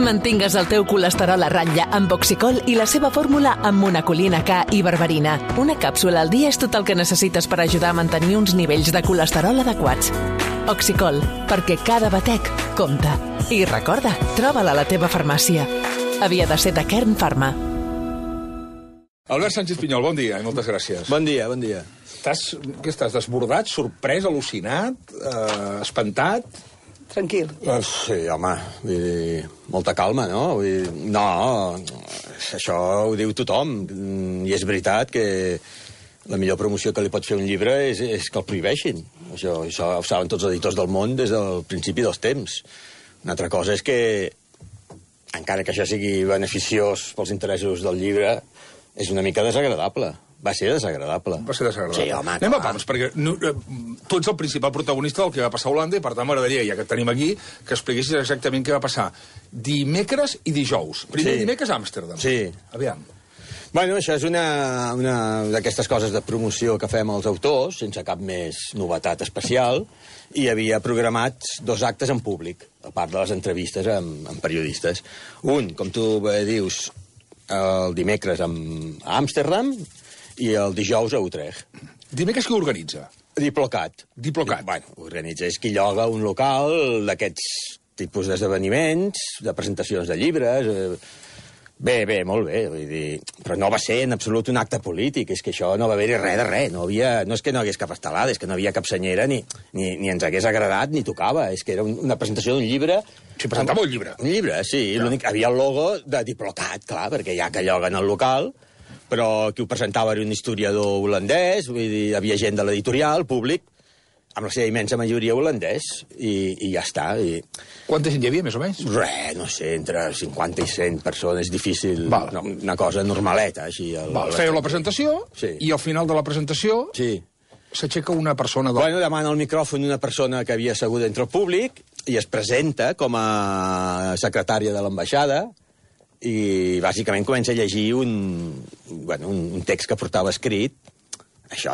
Mantingues el teu colesterol a ratlla amb Oxicol i la seva fórmula amb monacolina K i berberina. Una càpsula al dia és tot el que necessites per ajudar a mantenir uns nivells de colesterol adequats. Oxicol, perquè cada batec compta. I recorda, troba-la a la teva farmàcia. Havia de ser de Kern Pharma. Albert Sánchez Pinyol, bon dia i moltes gràcies. Bon dia, bon dia. Què estàs, desbordat, sorprès, al·lucinat, espantat? Tranquil. Sí, home, vull dir, molta calma, no? Vull dir, no, això ho diu tothom, i és veritat que la millor promoció que li pot fer un llibre és que el prohibeixin. Això ho saben tots els editors del món des del principi dels temps. Una altra cosa és que, encara que això sigui beneficiós pels interessos del llibre, és una mica desagradable. Va ser desagradable. Va ser desagradable. Sí, home, anem a pams, perquè tu ets el principal protagonista del que va passar a Holanda i, per tant, m'agradaria, ja que et tenim aquí, que expliquessis exactament què va passar dimecres i dijous. Primer dimecres a Amsterdam. Sí. Aviam. Bueno, això és una d'aquestes coses de promoció que fem als autors, sense cap més novetat especial, i havia programats 2 actes en públic, a part de les entrevistes amb periodistes. Un, com tu bé dius, el dimecres a Amsterdam, i el dijous a Utrecht. Dimecres qui organitza? Diplocat. Diplocat. Bueno, organitza, és qui lloga un local d'aquests tipus d'esdeveniments, de presentacions de llibres. Bé, molt bé, vull dir, però no va ser en absolut un acte polític, és que això no va haver-hi res de res, no és que no hi hagués cap estelada, és que no hi havia cap senyera, ni ens hagués agradat, ni tocava, és que era una presentació d'un llibre. Sí, presentava un llibre. Un llibre, sí, l'únic, havia el logo de Diplocat, clar, perquè ja que lloguen el local, però qui ho presentava era un historiador holandès, vull dir, hi havia gent de l'editorial, públic, amb la seva immensa majoria holandès, i ja està. Quanta gent hi havia, més o menys? Res, no sé, entre 50 i 100 persones, difícil, una cosa normaleta, així. Fèieu la presentació, i al final de la presentació s'aixeca una persona... Bueno, demana el micròfon una persona que havia assegut entre el públic i es presenta com a secretària de l'ambaixada, i bàsicament comença a llegir un text que portava escrit, això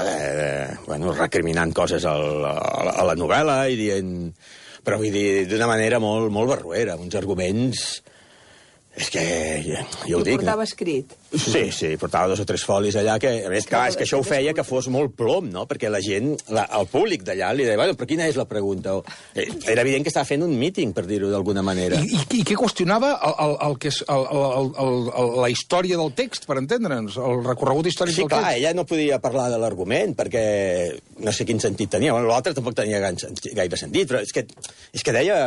recriminant coses a la novel·la i dient... Però vull dir, d'una manera molt barruera, amb uns arguments... És que, jo ho dic... I portava escrit? Sí, portava 2 o 3 folis allà, que a més, clar, és que això ho feia que fos molt plom, no? Perquè la gent, el públic d'allà li deia, bueno, però quina és la pregunta? Era evident que estava fent un míting, per dir-ho d'alguna manera. I què qüestionava la història del text, per entendre'ns? El recorregut històric del text? Sí, clar, ella no podia parlar de l'argument, perquè no sé quin sentit tenia. L'altre tampoc tenia gaire sentit, però és que deia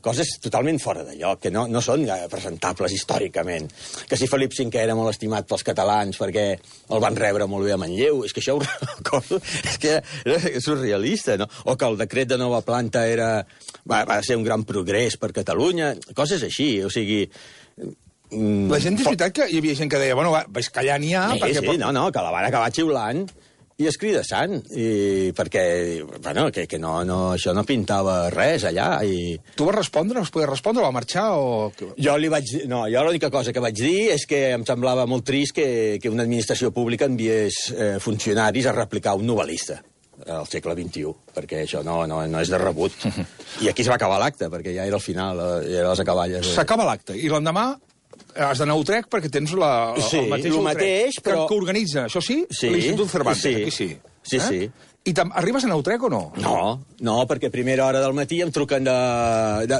coses totalment fora de lloc, que no són presentables històricament. Que si Felip V era molt estimat pels catalans perquè el van rebre molt bé a Manlleu, és que això ho recordo, és que era surrealista, no? O que el decret de nova planta va ser un gran progrés per Catalunya, coses així, o sigui... La gent, és veritat que hi havia gent que deia, bueno, vaig callar n'hi ha... Sí, no, que la van acabar xiulant i escridassant, perquè, bueno, que això no pintava res allà. Tu vas respondre? Vas poder respondre? Va marxar o...? Jo l'única cosa que vaig dir és que em semblava molt trist que una administració pública enviés funcionaris a replicar un novel·lista al segle XXI, perquè això no és de rebut. I aquí es va acabar l'acte, perquè ja era el final, ja era les acaballes. S'acaba l'acte, i l'endemà has d'anar a Utrecht perquè tens el mateix que organitza, això sí? L'Institut Cervantes, aquí sí. Sí. I arribes a anar a Utrecht o no? No, perquè a primera hora del matí em truquen de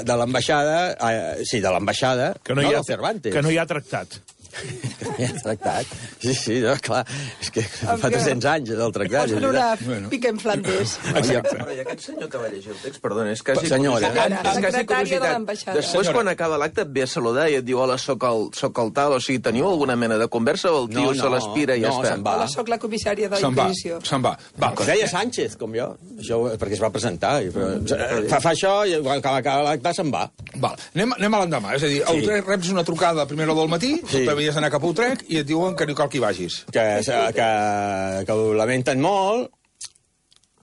l'ambaixada, de l'ambaixada, no del Cervantes. Que no hi ha tractat. Que no hi ha tractat. Sí, no, clar, és que fa 300 anys del tractat. Pots veure una pica en Flandes. Exacte. Però i aquest senyor que va llegir el text, perdona, és quasi senyora. curiositat. Secretària de l'ambaixada. Després, quan acaba l'acte, et ve a saludar i et diu, hola, soc el tal, o sigui, teniu alguna mena de conversa o el tio se l'aspira i ja està? Hola, soc la comissària de la Inquisició. Se'n va. Deia Sánchez, com jo, perquè es va presentar. Fa això i quan acaba l'acte se'n va. Anem a l'endemà, és a dir, a Utrecht reps una trucada a primera hora del matí, tu t'havies d'anar cap a Utrecht i et diuen que no cal que hi vagis. Que ho lamenten molt.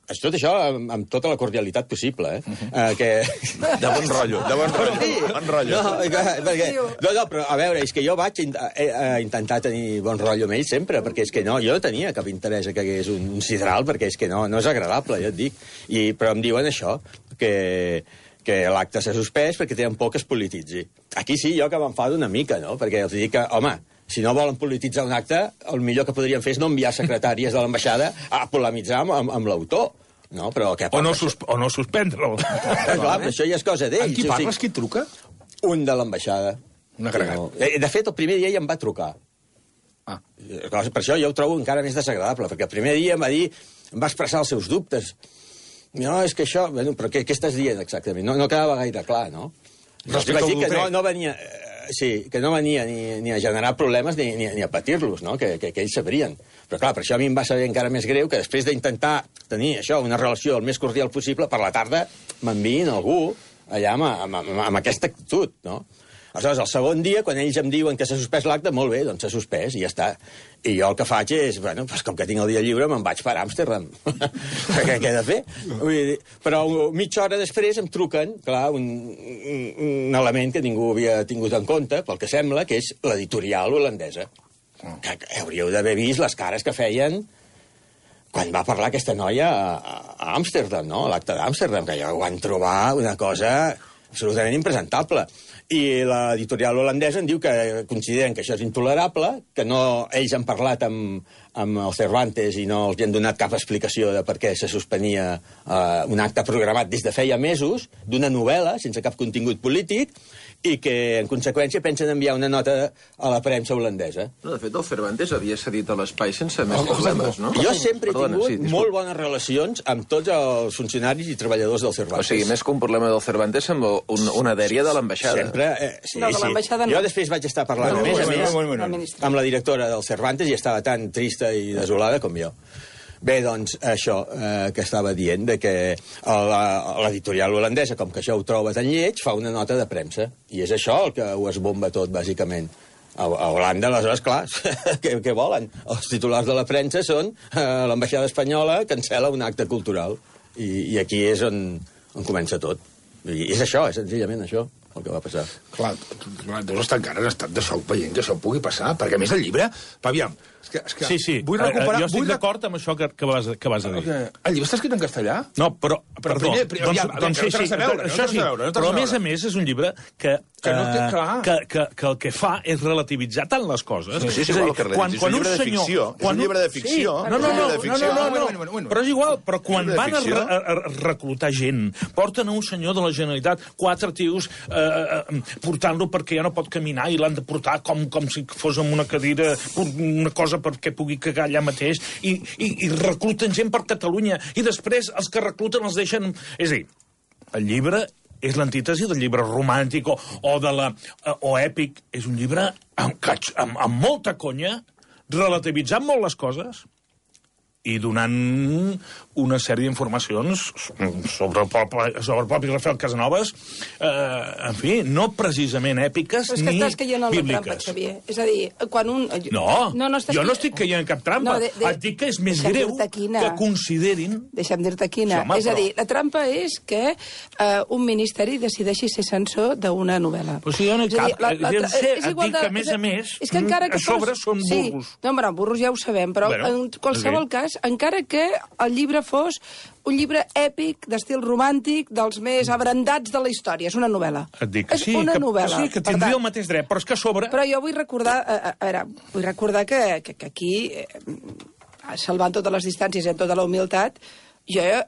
Tot això amb tota la cordialitat possible, De bon rotllo, Bon rotllo. No, però a veure, és que jo vaig intentar tenir bon rotllo amb ell sempre, perquè és que jo no tenia cap interès que hagués un sidral, perquè és que no és agradable, ja et dic. Però em diuen això, que que l'acte s'ha suspès perquè tenen por que es polititzi. Aquí sí, jo que m'enfado una mica, no? Perquè els dic que, home, si no volen polititzar un acte, el millor que podrien fer és no enviar secretàries de l'ambaixada a polemitzar amb l'autor. No, però què o no suspendre-lo. Clar, però això ja és cosa d'ells. Amb qui parles? Qui et truca? Un de l'ambaixada. Un agregat. No. De fet, el primer dia ja em va trucar. Per això jo ho trobo encara més desagradable, perquè el primer dia em va dir, em va expressar els seus dubtes. No, és que això... Bueno, però què estàs dient exactament? No quedava gaire clar, no? Respecte al que no venia... Sí, que no venia ni a generar problemes ni a patir-los, no? Que ells sabrien. Però clar, per això a mi em va saber encara més greu que després d'intentar tenir això, una relació el més cordial possible, per la tarda m'enviïn algú allà amb aquesta actitud, no? Aleshores, el segon dia, quan ells em diuen que s'ha suspès l'acte, molt bé, doncs s'ha suspès i ja està. I jo el que faig és, bueno, pues com que tinc el dia lliure, me'n vaig per Amsterdam. Què he de fer? Vull dir, però mitja hora després em truquen, clar, un element que ningú havia tingut en compte, pel que sembla, que és l'editorial holandesa. Que hauríeu d'haver vist les cares que feien quan va parlar aquesta noia a Amsterdam, no? A l'acte d'Amsterdam, que ja ho van trobar una cosa absolutament impresentable. I l'editorial holandesa en diu que consideren que això és intolerable, que ells han parlat amb el Cervantes i no els han donat cap explicació de per què se suspenia un acte programat des de feia mesos, d'una novel·la, sense cap contingut polític, i que, en conseqüència, pensen enviar una nota a la premsa holandesa. No, de fet, el Cervantes havia cedit a l'espai sense més problemes, no? Jo sempre he tingut molt bones relacions amb tots els funcionaris i treballadors del Cervantes. O sigui, més que un problema del Cervantes amb una dèria de l'ambaixada. Sempre, sí. No, de l'ambaixada no. Jo després vaig estar parlant, a més, amb la directora del Cervantes i estava tan trista i desolada com jo. Bé, doncs, això que estava dient, de que l'editorial holandesa, com que això ho troba tan lleig, fa una nota de premsa. I és això el que ho esbomba tot, bàsicament. A Holanda, aleshores, clar, què volen? Els titulars de la premsa són l'ambaixada espanyola cancela un acte cultural. I aquí és on comença tot. I és això, és senzillament això el que va passar. Clar, deus estar encara en estat de xoc veient que això pugui passar, perquè a més el llibre... Aviam, és que sí. Vull recuperar... Jo estic d'acord amb això que vas a dir. El llibre està escrit en castellà? No, però perdó. Doncs sí, això sí. Però a més és un llibre que el que fa és relativitzar tant les coses. Sí, és un llibre de ficció. És un llibre de ficció. No, però és igual. Però quan van a reclutar gent, porten a un senyor de la Generalitat, 4 tios portant-lo perquè ja no pot caminar i l'han de portar com si fos amb una cadira, una cosa perquè pugui cagar allà mateix, i recluten gent per Catalunya, i després els que recluten els deixen... És a dir, el llibre és l'antítesi del llibre romàntic o èpic. És un llibre amb molta conya, relativitzant molt les coses i donant una sèrie d'informacions sobre el propi Rafael Casanovas, en fi, no precisament èpiques ni bíbliques. Però és que estàs caient en la trampa, Xavier. És a dir, quan un... Jo no estic caient en cap trampa. Et dic que és més greu que considerin... Deixa'm dir-te quina. És a dir, la trampa és que un ministeri decideixi ser censor d'una novel·la. Però si jo no hi cap. Et dic que, a més a més, a sobre són burros. No, però burros ja ho sabem, però en qualsevol cas, encara que el llibre fos un llibre èpic, d'estil romàntic, dels més abrandats de la història. És una novel·la. Et dic que sí, que tindria el mateix dret, però és que a sobre... Però jo vull recordar... vull recordar que aquí, salvant totes les distàncies i amb tota la humilitat,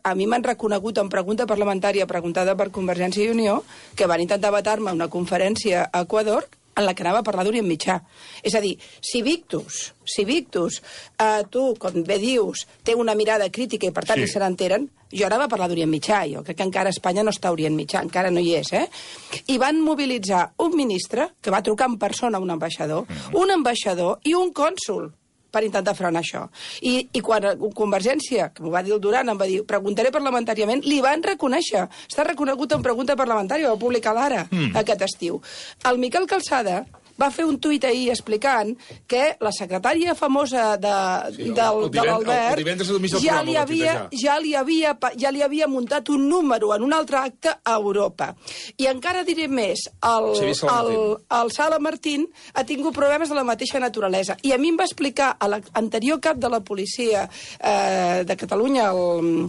a mi m'han reconegut en pregunta parlamentària preguntada per Convergència i Unió que van intentar vetar-me una conferència a Equador en la que anava a parlar d'Orient Mitjà. És a dir, si Victus, tu, com bé dius, té una mirada crítica i per tant se n'enteren, jo anava a parlar d'Orient Mitjà. Jo crec que encara Espanya no està a Orient Mitjà, encara no hi és, I van mobilitzar un ministre que va trucar en persona a un ambaixador i un cònsol per intentar frenar això. I quan Convergència, que m'ho va dir el Duran, em va dir, preguntaré parlamentàriament, li van reconèixer. Està reconegut en pregunta parlamentària, va publicar l'Ara aquest estiu. El Miquel Calçada va fer un tuit ahir explicant que la secretària famosa de l'Albert ja li havia muntat un número en un altre acte a Europa. I encara diré més, el Sala Martín ha tingut problemes de la mateixa naturalesa. I a mi em va explicar l'anterior cap de la policia de Catalunya, el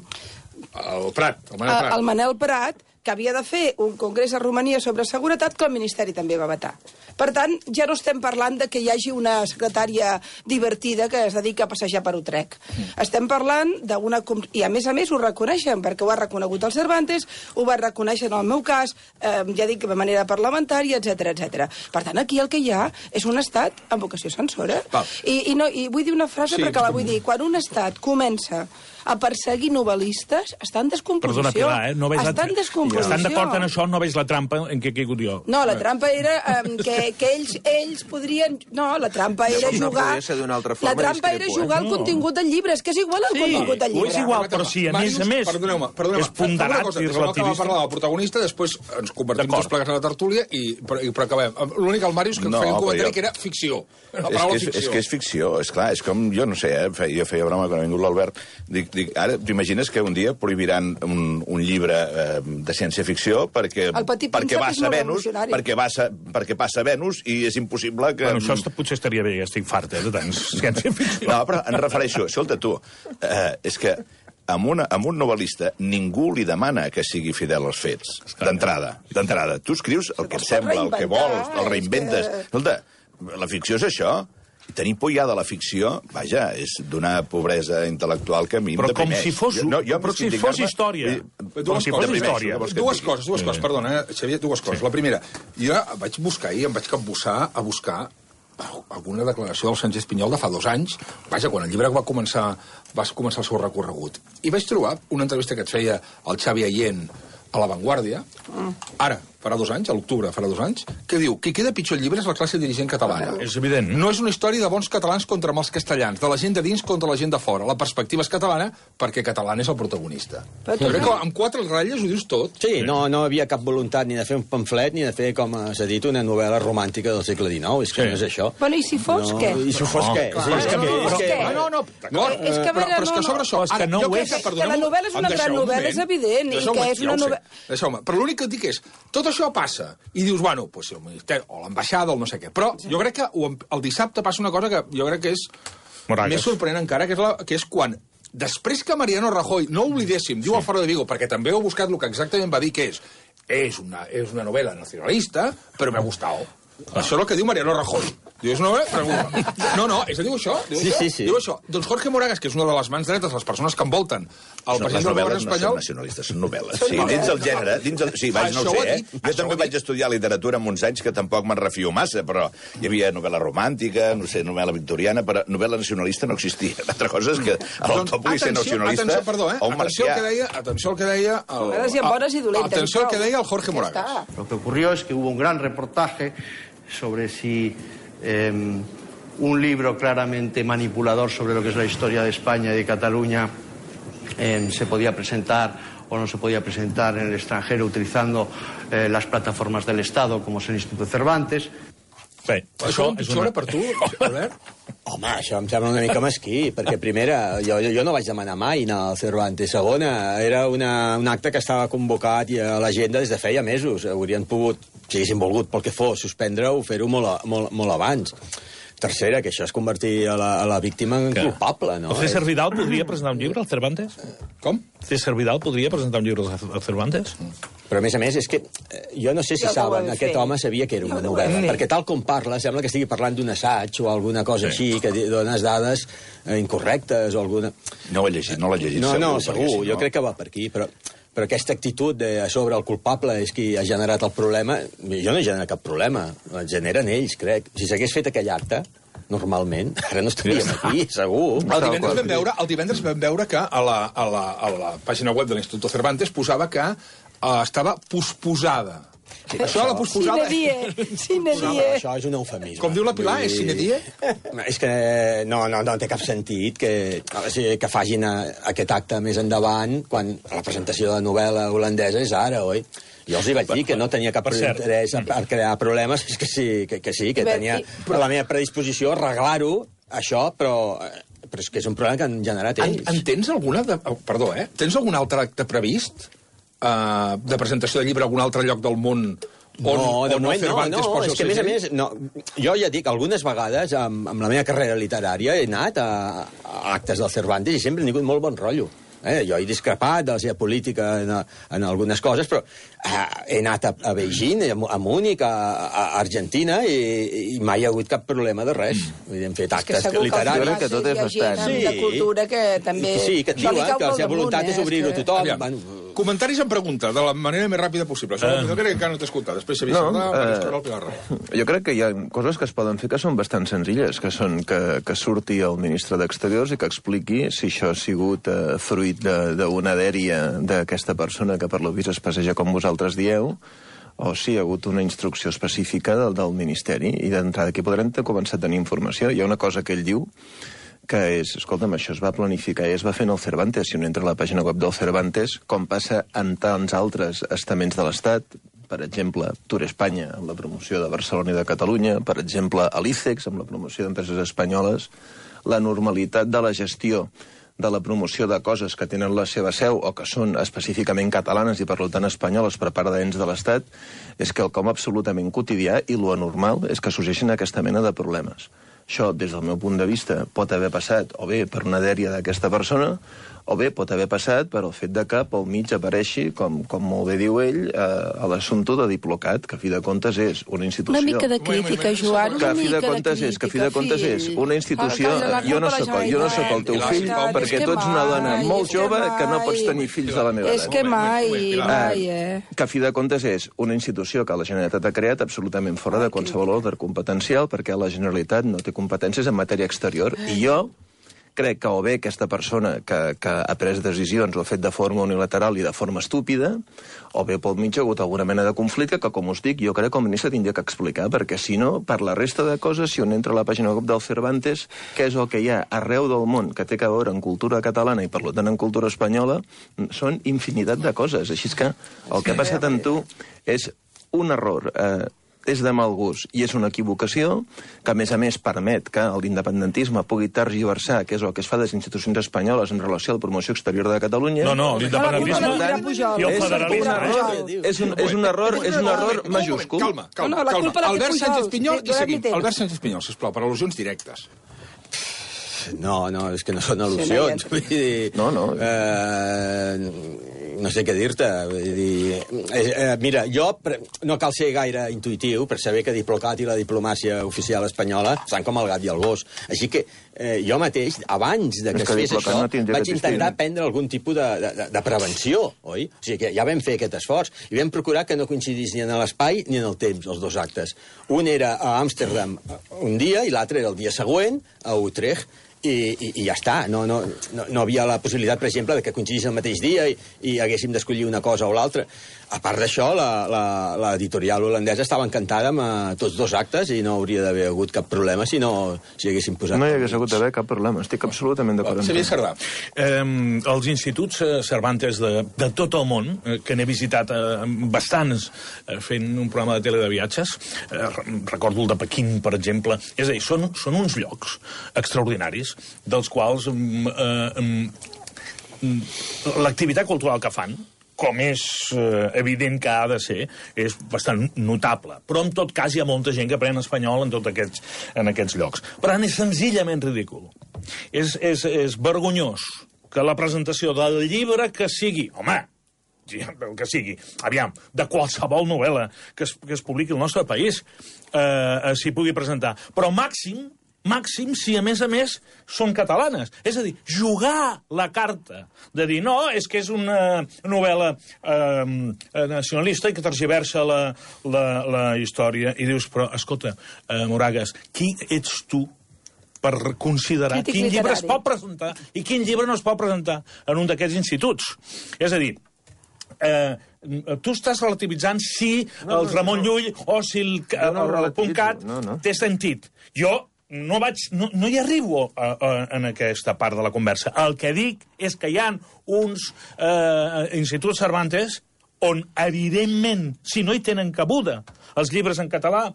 Manel Prat, el Manel Prat, que havia de fer un congrés a Romania sobre seguretat que el Ministeri també va vetar. Per tant, ja no estem parlant de que hi hagi una secretària divertida que es dedica a passejar per Utrecht. Estem parlant d'una... I a més ho reconeixen, perquè ho ha reconegut el Cervantes, ho va reconèixer en el meu cas, ja dic, de manera parlamentària, etc. Per tant, aquí el que hi ha és un estat amb vocació censora. I vull dir una frase perquè la vull dir. Quan un estat comença a perseguir novel·listes, està en descomposició. Perdona, Pilar, no veig està en descomposició. Estan d'acord en això, no veig la trampa en què he caigut jo. No, la trampa era que ells podrien... No, la trampa era jugar... La trampa era jugar al contingut del llibre. És que és igual el contingut del llibre. És igual, però sí, a més és ponderat i relativista. Acabem parlar del protagonista, després ens convertim tots plegats a la tertúlia però acabem. L'únic, el Màrius, que feia un comentari que era ficció. La paraula ficció. És que és ficció, és clar. És com, jo no sé, jo feia broma quan ha vingut l'Albert. Dic, ara t'imagines que un dia prohibiran un llibre de ciència-ficció perquè passa a Venus i és impossible que... Bueno, això potser estaria bé, estic fart, de tant ciència-ficció. No, però em refereixo... Escolta, tu, és que amb un novel·lista ningú li demana que sigui fidel als fets, d'entrada. Tu escrius el que et sembla, el que vols, el reinventes. Escolta, la ficció és això. Tenir por ja de la ficció, vaja, és d'una pobresa intel·lectual que a mi em deprimeix. Però com si fos història. Dues coses, perdona, Xavier, dues coses. La primera, jo vaig buscar ahir, em vaig capbussar a buscar alguna declaració del Sánchez Pinyol de fa 2 anys, vaja, quan el llibre va començar el seu recorregut. I vaig trobar una entrevista que et feia el Xavi Allén a La Vanguardia, ara, farà 2 anys, a l'octubre farà 2 anys, que diu que queda pitjor el llibre és la classe dirigent catalana. És evident. No és una història de bons catalans contra mals castellans, de la gent de dins contra la gent de fora. La perspectiva és catalana perquè català és el protagonista. Jo crec que amb 4 ratlles ho dius tot. Sí, no havia cap voluntat ni de fer un pamflet ni de fer, com s'ha dit, una novel·la romàntica del segle XIX. És que no és això. Bueno, i si fos què? I si fos què? És que a sobre això... Que la novel·la és una gran novel·la, és evident, i que és una novel·la... Deixeu-me, però l'únic que et dic és, tot això passa, i dius, bueno, pues el Ministeri, o l'ambaixada, o no sé què, però jo crec que el dissabte passa una cosa que jo crec que és més sorprenent encara, que és quan, després que Mariano Rajoy, no oblidéssim, diu al Faro de Vigo, perquè també heu buscat el que exactament va dir, que és una novel·la nacionalista, però m'ha gustat. Això és el que diu Mariano Rajoy. Diu, és una novel·la? No, diu això? Sí. Diu això. Doncs Jorge Moragas, que és una de les mans dretes, les persones que envolten el president del govern espanyol... No són nacionalistes, són novel·les. Sí, dins el gènere... Sí, no ho sé, Jo també vaig estudiar literatura en uns anys que tampoc me'n refio massa, però hi havia novel·la romàntica, no sé, novel·la victoriana, però novel·la nacionalista no existia. L'altra cosa és que l'autor pugui ser nacionalista o un marcià. Atenció al que deia... Atenció al que deia el Jorge Moragas. Lo que ocurrió es que hubo un gran reportaje sobre si un libro claramente manipulador sobre lo que es la historia de España y de Cataluña se podía presentar o no se podía presentar en el extranjero utilizando las plataformas del Estado, como es el Instituto Cervantes. Bé, això és una per tu, Albert? Home, això em sembla una mica mesquí, perquè primera, jo no vaig demanar mai anar al Cervantes. Segona, era un acte que estava convocat i a l'agenda des de feia mesos. Haurien pogut, si haguessin volgut, pel que fos, suspendre-ho, fer-ho molt abans. Tercera, que això és convertir a la víctima en culpable, no? El César Vidal podria presentar un llibre al Cervantes? Com? César Vidal podria presentar un llibre al Cervantes? Però, a més, és que jo no sé si saben, aquest home sabia que era una novel·la, perquè tal com parla, sembla que estigui parlant d'un assaig o alguna cosa així, que dones dades incorrectes o alguna... No ho he llegit, no l'he llegit. No, segur, jo crec que va per aquí, però aquesta actitud de sobre el culpable és qui ha generat el problema, jo no he generat cap problema, el generen ells, crec. Si s'hagués fet aquell acte, normalment, ara no estaríem aquí, segur. El divendres vam veure que a la pàgina web de l'Instituto Cervantes posava que estava posposada. Això, la posposada... Sine die. Això és un eufemisme. Com diu la Pilar, és sine die? És que no té cap sentit que facin aquest acte més endavant quan la presentació de la novel·la holandesa és ara, oi? Jo els hi vaig dir que no tenia cap interès per crear problemes, és que sí, que tenia la meva predisposició a arreglar-ho, això, però és que és un problema que han generat ells. En tens alguna... Perdó, tens algun altre acte previst de presentació de llibre a algun altre lloc del món on Cervantes posa el és que a més, jo ja dic, algunes vegades amb la meva carrera literària he anat a actes del Cervantes i sempre he tingut molt bon rotllo. Jo he discrepat de la seva política en algunes coses, però he anat a Beijing, a Múnich, a Argentina, i mai hi ha hagut cap problema de res. Hem fet actes literaris. Que tot és bastant. De cultura que també... Sí, que et diuen que la seva voluntat és obrir-ho a tothom. Comentaris en pregunta, de la manera més ràpida possible. Jo crec que no t'he escoltat. Després s'havia saltat, jo crec que hi ha coses que es poden fer que són bastant senzilles, que són que surti el ministre d'Exteriors i que expliqui si això ha sigut fruit d'una dèria d'aquesta persona que per lo vist es passeja com vosaltres dieu, o si hi ha hagut una instrucció específica del Ministeri, i d'entrada aquí podrem començar a tenir informació. Hi ha una cosa que ell diu, que és, escolta'm, això es va planificar i es va fer en el Cervantes. Si un entra a la pàgina web del Cervantes, com passa en tants altres estaments de l'Estat, per exemple, Tour Espanya, amb la promoció de Barcelona i de Catalunya, per exemple, a l'ICEX, amb la promoció d'empreses espanyoles, la normalitat de la gestió de la promoció de coses que tenen la seva seu o que són específicament catalanes i per tant espanyoles per part d'ens de l'Estat és quelcom absolutament quotidià, i lo anormal és que sorgeixin aquesta mena de problemes. Això, des del meu punt de vista, pot haver passat o bé per una dèria d'aquesta persona o bé pot haver passat per el fet de que pel mig apareixi, com molt bé diu ell, a l'assumpte de Diplocat, que a fi de comptes és una institució... Una mica de crítica, Joan, que a fi de comptes és una institució... Jo no soc el teu fill, perquè tu ets una dona molt jove que no pots tenir fills de la meva edat. És que mai, Que a fi de comptes és una institució que la Generalitat ha creat absolutament fora de qualsevol ordre competencial, perquè la Generalitat no té competències en matèria exterior, i jo crec que o bé aquesta persona que ha pres decisions ho ha fet de forma unilateral i de forma estúpida, o bé pel mig ha hagut alguna mena de conflicte que, com us dic, jo crec que el ministre tindria que explicar, perquè si no, per la resta de coses, si un entra a la pàgina web del Cervantes, què és el que hi ha arreu del món que té a veure en cultura catalana i per tant en cultura espanyola, són infinitat de coses. Així és que el que ha passat amb tu és un error, és de mal gust i és una equivocació que, a més, permet que l'independentisme pugui tergiversar, que és el que es fa de les institucions espanyoles en relació a la promoció exterior de Catalunya. No, l'independentisme i el federalisme... És un error majúscul. Calma. Albert Sánchez Pinyol i seguim. Albert Sánchez Pinyol, sisplau, per al·lusions directes. No, és que no són al·lusions. No sé què dir-te. Mira, jo no cal ser gaire intuïtiu per saber que Diplocat i la diplomàcia oficial espanyola estan com el gat i el gos. Així que jo mateix, abans de que es fes això, vaig intentar prendre algun tipus de prevenció, oi? O sigui que ja vam fer aquest esforç i vam procurar que no coincidís ni en l'espai ni en el temps, els dos actes. Un era a Amsterdam un dia i l'altre era el dia següent a Utrecht. I ja està. No havia la possibilitat, per exemple, que coincidís el mateix dia i haguéssim d'escollir una cosa o l'altra. A part d'això, l'editorial holandesa estava encantada amb tots dos actes i no hauria d'haver hagut cap problema si haguéssim posat... No hi hagués hagut d'haver cap problema. Estic absolutament d'acord amb tu. Xavier Sardà. Els instituts Cervantes de tot el món, que n'he visitat bastants fent un programa de tele de viatges, recordo el de Pequín, per exemple, és a dir, són uns llocs extraordinaris dels quals l'activitat cultural que fan, com és evident que ha de ser, és bastant notable. Però, en tot cas, hi ha molta gent que aprèn espanyol en aquests llocs. Per tant, és senzillament ridícul. És vergonyós que la presentació del llibre que sigui... Home, el que sigui, aviam, de qualsevol novel·la que es publiqui al nostre país s'hi pugui presentar. Però màxim, si a més són catalanes. És a dir, jugar la carta de dir, no, és que és una novel·la nacionalista i que tergiversa la història. I dius, però, escolta, Moragues, qui ets tu per considerar quin llibre es pot presentar i quin llibre no es pot presentar en un d'aquests instituts? És a dir, tu estàs relativitzant si el Ramon Llull o si el .cat té sentit. Jo no hi arribo en aquesta part de la conversa. El que dic és que hi ha uns instituts Cervantes on, evidentment, si no hi tenen cabuda els llibres en català,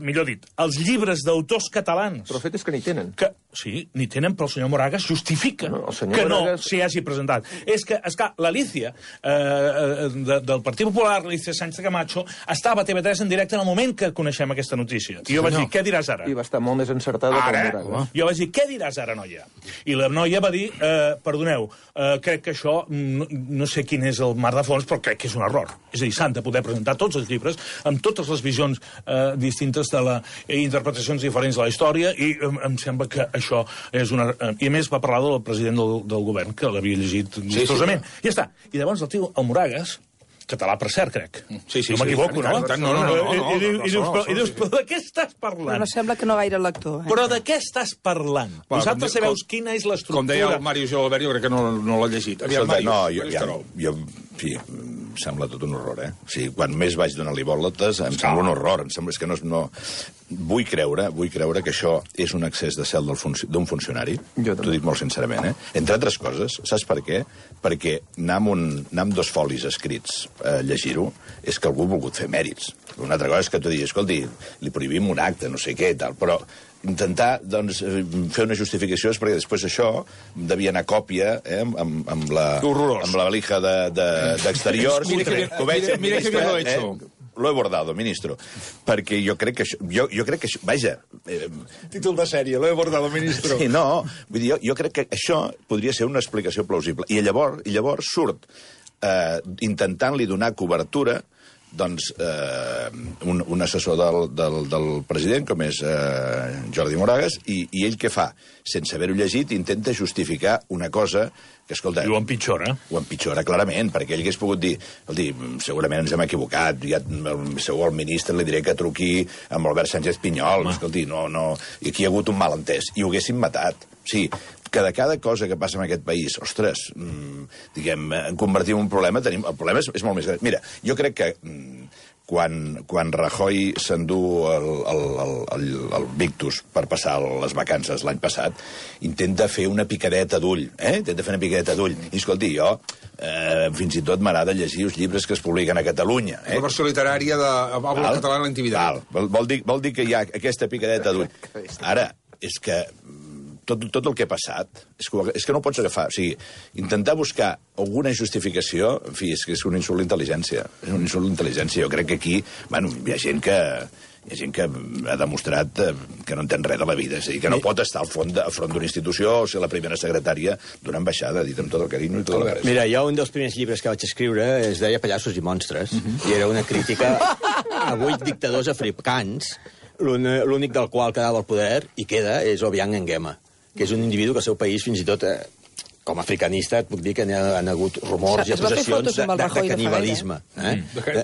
millor dit, els llibres d'autors catalans... Però el fet és que n'hi tenen. Sí, n'hi tenen, però el senyor Moragas justifica que no s'hi hagi presentat. És que, esclar, l'Alicia, del Partit Popular, l'Alicia Sánchez Camacho, estava a TV3 en directe en el moment que coneixem aquesta notícia. I jo vaig dir, què diràs ara? I va estar molt més encertada que el Moragas. Jo vaig dir, què diràs ara, noia? I la noia va dir, perdoneu, crec que això, no sé quin és el mar de fons, però crec que és un error. És a dir, s'han de poder presentar tots els llibres amb totes les visions distintes de les interpretacions diferents de la història, i em sembla que això és una... I a més va parlar del president del govern, que l'havia llegit gustosament. I ja està. I llavors el tio, el Moragas, català per cert, crec. No m'equivoco, no? I dius, però de què estàs parlant? Però no sembla que no gaire lector. Però de què estàs parlant? Vosaltres sabeu quina és l'estructura... Com deia el Màrius Gilabert, jo crec que no l'ha llegit. No, jo sí, em sembla tot un horror, O sigui, quan més vaig donar-li voltes, em sembla un horror. Em sembla que no... Vull creure que això és un excés de cel d'un funcionari. T'ho dic molt sincerament, Entre altres coses, saps per què? Perquè anar amb 2 folis escrits a llegir-ho és que algú ha volgut fer mèrits. Una altra cosa és que tu diguis, escolti, li prohibim un acte, no sé què, tal, però intentar, doncs, fer una justificació és perquè després això devia anar a còpia amb la valija d'exteriors. Mira que bien lo he hecho. Lo he bordado, ministro. Perquè jo crec que això... Vaja... Títol de sèrie, lo he bordado, ministro. Sí, no. Vull dir, jo crec que això podria ser una explicació plausible. I llavors surt intentant-li donar cobertura doncs, un assessor del president, com és Jordi Moragas, i ell què fa? Sense haver-ho llegit, intenta justificar una cosa que, escolta... I ho empitjora. Ho empitjora, clarament, perquè ell hagués pogut dir, segurament ens hem equivocat, segur al ministre li diré que truqui amb Albert Sánchez Pinyol, escolti, no, i aquí hi ha hagut un malentès, i ho haguessin matat. Sí, que de cada cosa que passa en aquest país, ostres, diguem, en convertim en un problema, el problema és molt més gran. Mira, jo crec que quan Rajoy s'endú el Victus per passar les vacances l'any passat, intenta fer una picadeta d'ull, Intenta fer una picadeta d'ull. I, escolti, jo fins i tot m'agrada llegir els llibres que es publiquen a Catalunya. La versió literària de Habla català en la intimitat. Vol dir que hi ha aquesta picadeta d'ull. Ara, és que tot el que ha passat és que no ho pots agafar. O sigui, intentar buscar alguna justificació, en fi, és que és un insult a l'intel·ligència. És un insult a l'intel·ligència. Jo crec que aquí, bueno, hi ha gent que ha demostrat que no entén res de la vida. És a dir, que no pot estar al front d'una institució o ser la primera secretària d'una ambaixada, dit amb tot el carinyo i tot el res. Mira, jo un dels primers llibres que vaig escriure es deia Pallassos i monstres, i era una crítica a 8 dictadors africans, l'únic del qual quedava el poder, i queda, és Obiang Nguema, que és un individu que al seu país, fins i tot com a africanista, et puc dir que n'hi han hagut rumors i acusacions de canibalisme.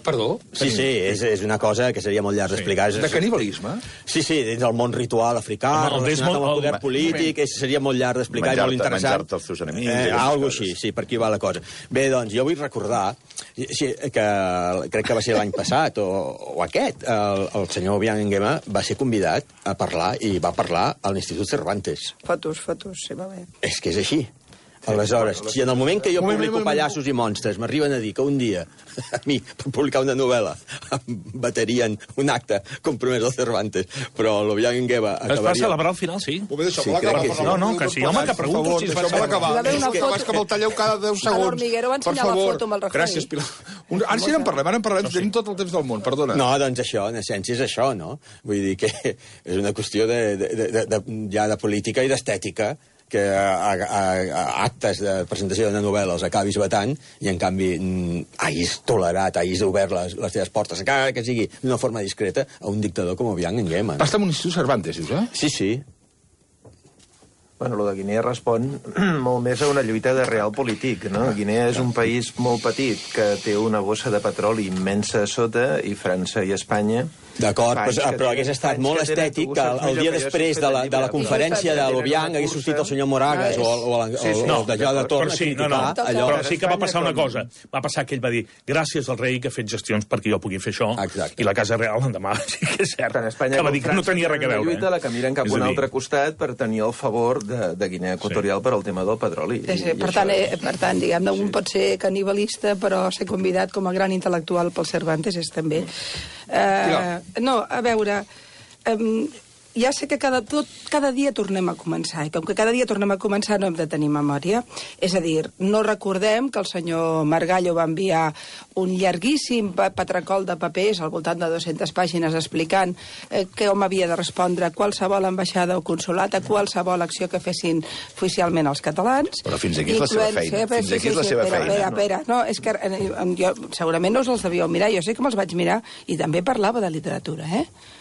Perdó? Sí, és una cosa que seria molt llarg d'explicar. De canibalisme? Sí, dins del món ritual africà, relacionat amb el poder polític, seria molt llarg d'explicar i molt interessant. Menjar-te els teus enemics. Algo així, sí, per aquí va la cosa. Bé, doncs, jo vull recordar que crec que va ser l'any passat, o aquest, el senyor Obiang Nguema va ser convidat a parlar, i va parlar a l'Institut Cervantes. Fotos, sí, va bé. És que és així. Aleshores, si en el moment que jo publico Pallassos i monstres m'arriben a dir que un dia a mi, per publicar una novel·la, em baterien un acte compromès al Cervantes, però l'Obiang Nguema acabaria... Es va celebrar al final, sí. Sí, crec que sí. No, que sí. Home, que pregunto si es va celebrar. És que me'l talleu cada 10 segons. L'Hormiguero va ensenyar la foto amb el Rajoy. Gràcies, Pilar. Ara sí n'en parlem, tenim tot el temps del món, perdona. No, doncs això, en essència és això, no? Vull dir que és una qüestió ja de política i d'estètica, que a actes de presentació d'una novel·la els acabis vetant i, en canvi, hagis tolerat, hagis obert les teves portes, encara que sigui d'una forma discreta, a un dictador com Obiang Nguema. Va estar en un institut Cervantes, dius, Sí. Bueno, lo de Guinea respon molt més a una lluita de real polític, no? Guinea és un país molt petit que té una bossa de petroli immensa a sota, i França i Espanya... D'acord, però hagués estat molt estètic que el dia després de la conferència de l'Obiang hagués sortit el senyor Moragas o el de Joan de Torn a criticar allò. Però sí que va passar una cosa. Va passar que ell va dir, gràcies al rei que ha fet gestions perquè jo pugui fer això, i la Casa Real l'endemà sí que és cert, que va dir que no tenia res a veure. Lluita la que miren cap a un altre costat per tenir el favor de Guinea Equatorial per al tema del petroli. Per tant, diguem-ne, un pot ser canibalista, però ser convidat com a gran intel·lectual pel Cervantes és també... No, a veure... Ja sé que cada dia tornem a començar, i com que cada dia tornem a començar no hem de tenir memòria. És a dir, no recordem que el senyor Margallo va enviar un llarguíssim patracol de papers al voltant de 200 pàgines explicant com havia de respondre qualsevol ambaixada o consolat a qualsevol acció que fessin oficialment els catalans. Però fins aquí és la seva feina. Fins aquí és la seva feina. Espera. No, és que jo segurament no us els devíeu mirar. Jo sé que me'ls vaig mirar i també parlava de literatura,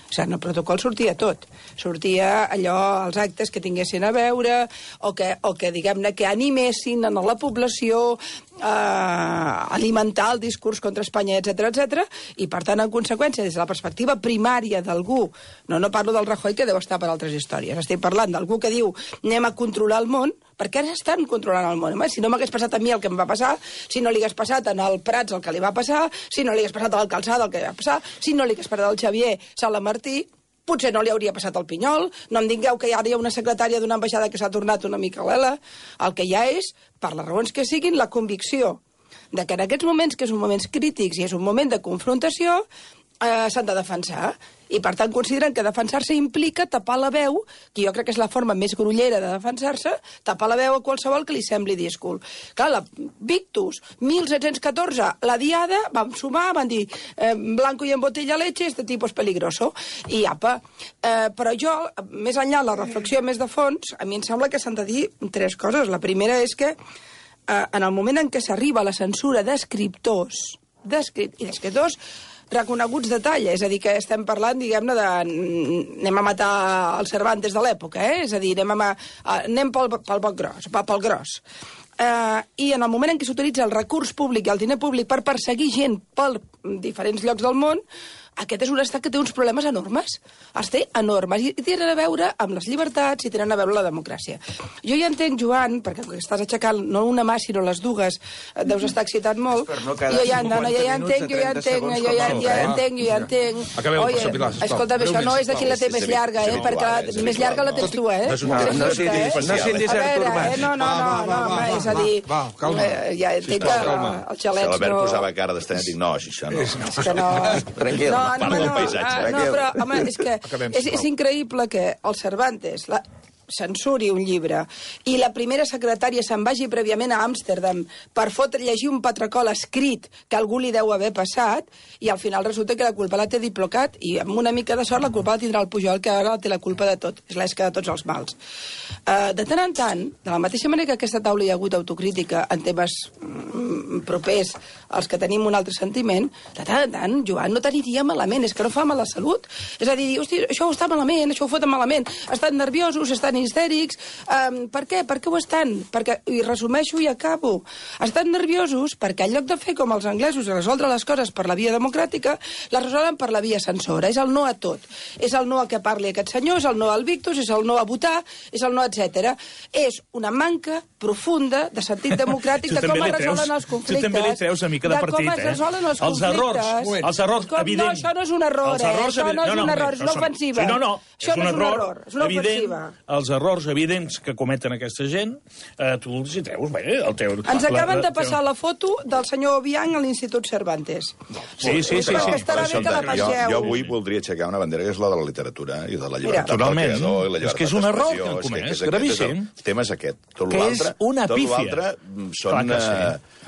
O sigui, en el protocol sortia tot. Sortia allò, els actes que tinguessin a veure, o que diguem-ne, que animessin a la població a alimentar el discurs contra Espanya, etc, i, per tant, en conseqüència, des de la perspectiva primària d'algú, no parlo del Rajoy, que deu estar per altres històries, estic parlant d'algú que diu anem a controlar el món, perquè ara estan controlant el món. Si no m'hagués passat a mi el que em va passar, si no li hagués passat al Prats el que li va passar, si no li hagués passat a l'Alcalçada el que li va passar, si no li hagués passat al Xavier Salamartí, potser no li hauria passat al Pinyol. No em digueu que ara hi ha una secretària d'una ambaixada que s'ha tornat una mica lela. El que hi ha és, per les raons que siguin, la convicció de que en aquests moments, que són moments crítics i és un moment de confrontació, s'han de defensar. I, per tant, consideren que defensar-se implica tapar la veu, que jo crec que és la forma més grollera de defensar-se, tapar la veu a qualsevol que li sembli díscol. Clar, la Victus, 1714, la Diada, vam sumar, van dir blanco y en botella leche, este tipo es peligroso, i apa. Però jo, més enllà, la reflexió més de fons, a mi em sembla que s'han de dir tres coses. La primera és que en el moment en què s'arriba a la censura d'escriptors i d'escriptors reconeguts de talla, és a dir, que estem parlant, diguem-ne, de... anem a matar el Cervantes de l'època, és a dir, anem pel gros. I en el moment en què s'utilitza el recurs públic i el diner públic per perseguir gent per diferents llocs del món, aquest és un estat que té uns problemes enormes. Els té enormes. I tenen a veure amb les llibertats i tenen a veure amb la democràcia. Jo ja entenc, Joan, perquè estàs aixecant no una mà, sinó les dues, deus estar excitat molt. Jo ja entenc. Oye, escolta'm, això no és de qui la té més llarga, perquè més llarga la tens tu, No sindis Artur Mas. No, és a dir, ja entenc que els xalets no... Si l'Albert posava cara d'estrany, dic, no, això no. És que no... Tranquil. No, però, home, és que és increïble que el Cervantes censuri un llibre i la primera secretària se'n vagi prèviament a Amsterdam per llegir un patracol escrit que algú li deu haver passat i al final resulta que la culpa la té Diplocat i amb una mica de sort la culpa la tindrà el Pujol, que ara té la culpa de tot, és l'esca de tots els mals. De tant en tant, de la mateixa manera que a aquesta taula hi ha hagut autocrítica en temes propers als que tenim un altre sentiment, de tant en tant, Joan, no t'aniria malament, és que no fa mal a la salut. És a dir, hosti, això està malament, això ho foten malament, estan nerviosos, estan histèrics. Per què? Per què ho estan? Perquè, i resumeixo i acabo, estan nerviosos perquè en lloc de fer com els anglesos resoldre les coses per la via democràtica, les resolen per la via censora. És el no a tot. És el no a que parli aquest senyor, és el no al Victus, és el no a votar, és el no, etc. És una manca profunda de sentit democràtic de com es resolen els conflictes. Tu també li treus una mica de partit, com es resolen els conflictes. Els errors, evident. No, això no és un error, això no és un error, és una ofensiva. Això no és un error, és una ofensiva. Els errors evidents que cometen aquesta gent, tu els hi treus, bé, el teu... Ens acaben de passar la foto del senyor Obiang a l'Institut Cervantes. Sí. Jo avui voldria aixecar una bandera que és la de la literatura i de la llibertat del creador i la llibertat d'expressió. És que és un error que han comès, gravíssim. El tema és aquest. Tot l'altre són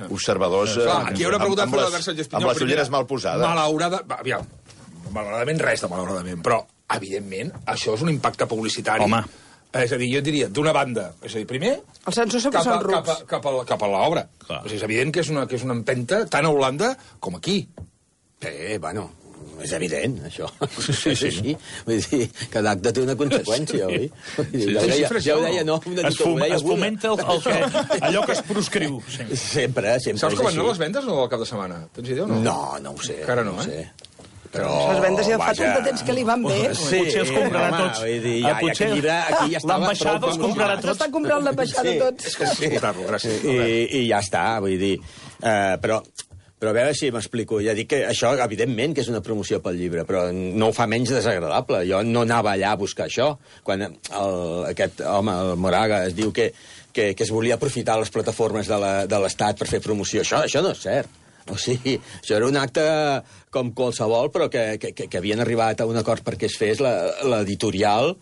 observadors aquí hi ha una pregunta per l'Albert Sánchez Pinyol. Amb les ulleres mal posades. Malauradament res de malauradament, però evidentment això és un impacte publicitari. Home. És a dir, jo diria, d'una banda, és a dir, primer... Els censors sempre són rucs. Cap a l'obra. És evident que és una empenta tant a Holanda com aquí. Bueno, és evident, això. Sí. Vull dir, cada acte té una conseqüència, oi? Ja ho deia, no? Es fomenta allò que es proscriu. Sempre. Saps com van anar les vendes o al cap de setmana? Tens idea o no? No ho sé. Encara no, eh? Però les vendes ja fa tant de temps que li van bé. Potser els comprarà tots. L'ambaixada els comprarà tots. S'està comprant l'ambaixada tots. Gràcies. I ja està, vull dir... Però a veure si m'explico. Ja dic que això, evidentment, que és una promoció pel llibre, però no ho fa menys desagradable. Jo no anava allà a buscar això. Quan aquest home, el Moraga, es diu que es volia aprofitar les plataformes de l'Estat per fer promoció. Això no és cert. O sigui, això era un acte com qualsevol, però que havien arribat a un acord perquè es fes l'editorial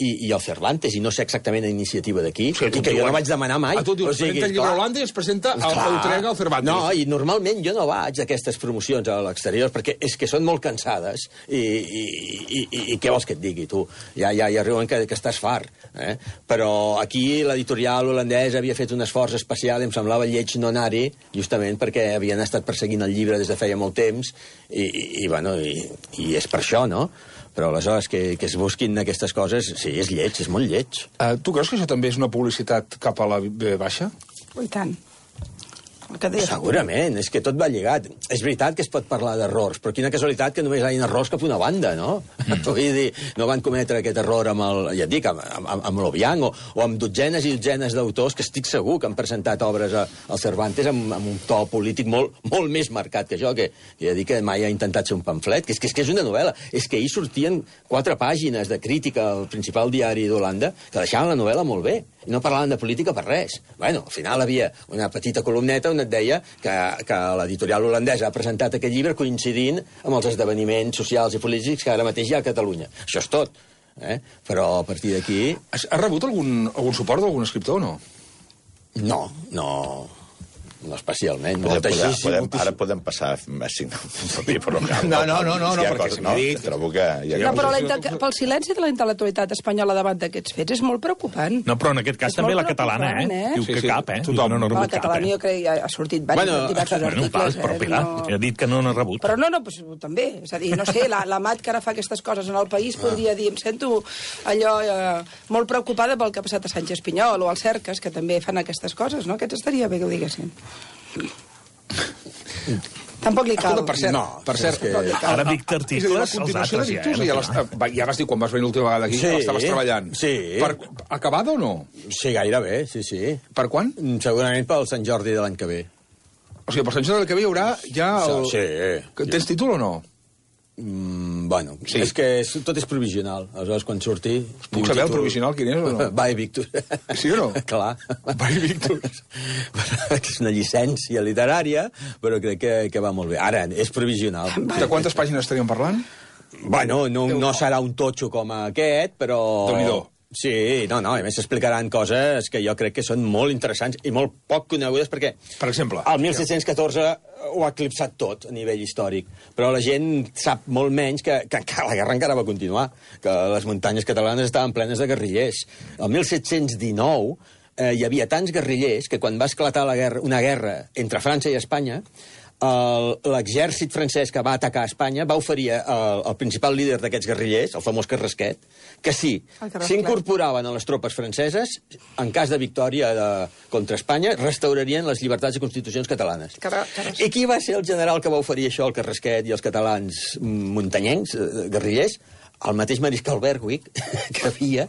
i el Cervantes, i no sé exactament la iniciativa d'aquí, i que jo no vaig demanar mai. Tu dius, presenta el llibre a Holanda i es presenta l'Utrega al Cervantes. No, i normalment jo no vaig a aquestes promocions a l'exterior, perquè és que són molt cansades, i què vols que et digui, tu? Ja arriben que estàs fart. Però aquí l'editorial holandès havia fet un esforç especial, em semblava lleig no anar-hi, justament perquè havien estat perseguint el llibre des de feia molt temps, i és per això, no? Però aleshores que es busquin aquestes coses, sí, és lleig, és molt lleig. Tu creus que això també és una publicitat cap a la B baixa? I tant. Segurament, és que tot va lligat. És veritat que es pot parlar d'errors, però quina casualitat que només hi ha errors cap a una banda, no? Vull dir, no van cometre aquest error amb l'Obiang, o amb dotzenes i dotzenes d'autors que estic segur que han presentat obres al Cervantes amb un to polític molt més marcat que jo, que ja dic que mai ha intentat ser un pamflet, que és una novel·la. És que ahir sortien 4 pàgines de crítica al principal diari d'Holanda que deixaven la novel·la molt bé, i no parlaven de política per res. Bueno, al final havia una petita columneta on et deia que l'editorial holandesa ha presentat aquest llibre coincidint amb els esdeveniments socials i polítics que ara mateix hi ha a Catalunya. Això és tot. Però a partir d'aquí... Has rebut algun suport d'algun escriptor o no? No especialment. Ara podem passar a signar un paper, però no, perquè no, trobo que... No, però pel silenci de la intel·lectualitat espanyola davant d'aquests fets és molt preocupant. No, però en aquest cas també la catalana, Diu que cap, Tothom no ha rebut cap. La catalana jo crec que ha sortit diversos articles. Però Pilar, ha dit que no n'ha rebut. Però no, també. És a dir, no sé, la Mat que ara fa aquestes coses en el país podria dir, em sento allò molt preocupada pel que ha passat a Sánchez Pinyol o als Cercas, que també fan aquestes coses, no? Aquests estaria bé que ho diguessin. Tampoc li cal. Per cert, ara dicta articles als altres, ja vas dir quan vas venir l'última vegada aquí que estaves treballant. Sí. Acabada o no? Sí, gairebé, sí. Per quan? Segurament pel Sant Jordi de l'any que ve. O sigui, per Sant Jordi de l'any que ve hi haurà ja el... Sí. Tens títol o no? Bueno, sí. És que tot és provisional. Aleshores, quan surti... Puc saber el provisional quin és o no? Vai Victus. Sí o no? Clar. Vai Victus. És una llicència literària, però crec que va molt bé. Ara, és provisional. De quantes pàgines estaríem parlant? Bueno, no serà un totxo com aquest, però... Déu-n'hi-do. Sí, no, a més s'explicaran coses que jo crec que són molt interessants i molt poc conegudes perquè... Per exemple? El 1714 ho ha eclipsat tot a nivell històric, però la gent sap molt menys que la guerra encara va continuar, que les muntanyes catalanes estaven plenes de guerrillers. El 1719 hi havia tants guerrillers que quan va esclatar una guerra entre França i Espanya, l'exèrcit francès que va atacar Espanya va oferir al principal líder d'aquests guerrillers, el famós Carrasquet, que si s'incorporaven a les tropes franceses, en cas de victòria contra Espanya, restaurarien les llibertats i constitucions catalanes. I qui va ser el general que va oferir això al Carrasquet i als catalans muntanyencs, guerrillers? El mateix mariscal Berwick, que havia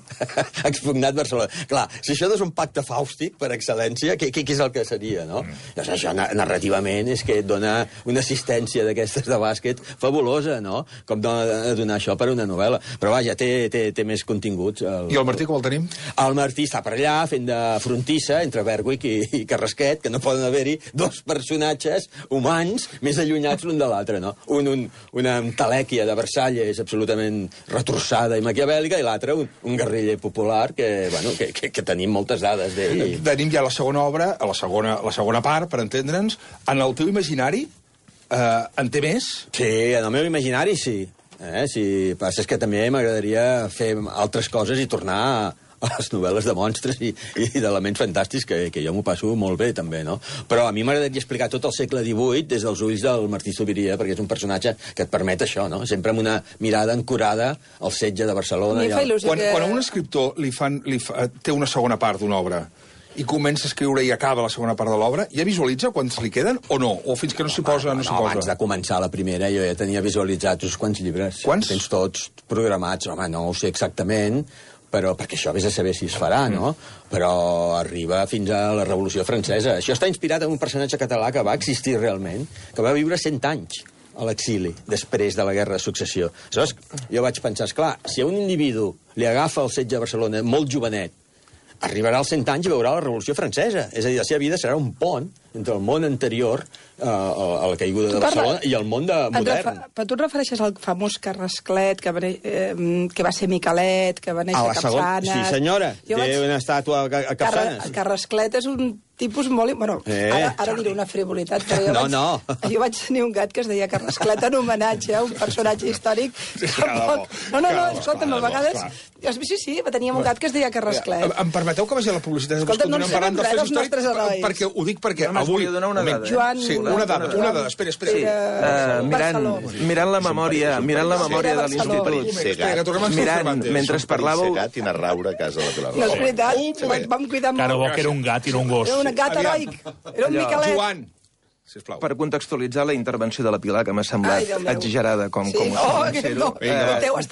expugnat Barcelona. Clar, si això no és un pacte fàustic per excel·lència, què és el que seria, no? Doncs això, narrativament, és que et dona una assistència d'aquestes de bàsquet fabulosa, no? Com donar això per una novel·la. Però vaja, té més continguts. I el Martí, com el tenim? El Martí està per allà, fent de frontissa entre Berwick i Carrasquet, que no poden haver-hi dos personatges humans més allunyats l'un de l'altre, no? Una talèquia de Versalles absolutament retorçada i maquiavèlica, i l'altre un guerriller popular que tenim moltes dades d'ell. Tenim ja la segona obra, la segona part, per entendre'ns. En el teu imaginari en té més? Sí, en el meu imaginari sí. Si passa és que també m'agradaria fer altres coses i tornar a les novel·les de monstres i d'elements fantàstics, que jo m'ho passo molt bé, també, no? Però a mi m'agradaria explicar tot el segle XVIII des dels ulls del Martí Zubiria, perquè és un personatge que et permet això, no? Sempre amb una mirada ancorada al setge de Barcelona. Quan a un escriptor té una segona part d'una obra i comença a escriure i acaba la segona part de l'obra, ja visualitza quants li queden o no? O fins que no s'hi posa, no s'hi posa? Abans de començar la primera jo ja tenia visualitzats uns quants llibres. Quants? Tens tots programats. Home, no ho sé exactament, però perquè això vés a saber si es farà, no? Però arriba fins a la Revolució Francesa. Això està inspirat en un personatge català que va existir realment, que va viure 100 anys a l'exili, després de la Guerra de Successió. Aleshores, jo vaig pensar, esclar, si a un individu li agafa el setge de Barcelona molt jovenet, arribarà als 100 anys i veurà la Revolució Francesa. És a dir, la seva vida serà un pont entre el món anterior a la caiguda de Barcelona i el món modern. Però tu et refereixes al famós Carrasclet, que va ser Miquelet, que va néixer a Capçanes... Sí, senyora, té una estàtua a Capçanes. Carrasclet és un tipus molt... Bueno, ara diré una frivolitat, però jo vaig tenir un gat que es deia Carrasclet en homenatge a un personatge històric. No, escolta'm, a vegades... Sí, teníem un gat que es deia Carrasclet. Em permeteu que vagi a la publicitat? Escolta, no ens sabem res dels nostres herois. Perquè ho dic perquè avui... Una dada. Sí, una dada. Espera. Mirant la memòria de l'Institut... Mentre parlàveu... Gat i anar a raure a casa de la Pilar Rahola. No, és veritat, vam cuidar molt. Cara bo que era un gat i no un gos. Era un gat heroic, era un Miquelet. Joan, sisplau. Per contextualitzar la intervenció de la Pilar, que m'ha semblat exagerada com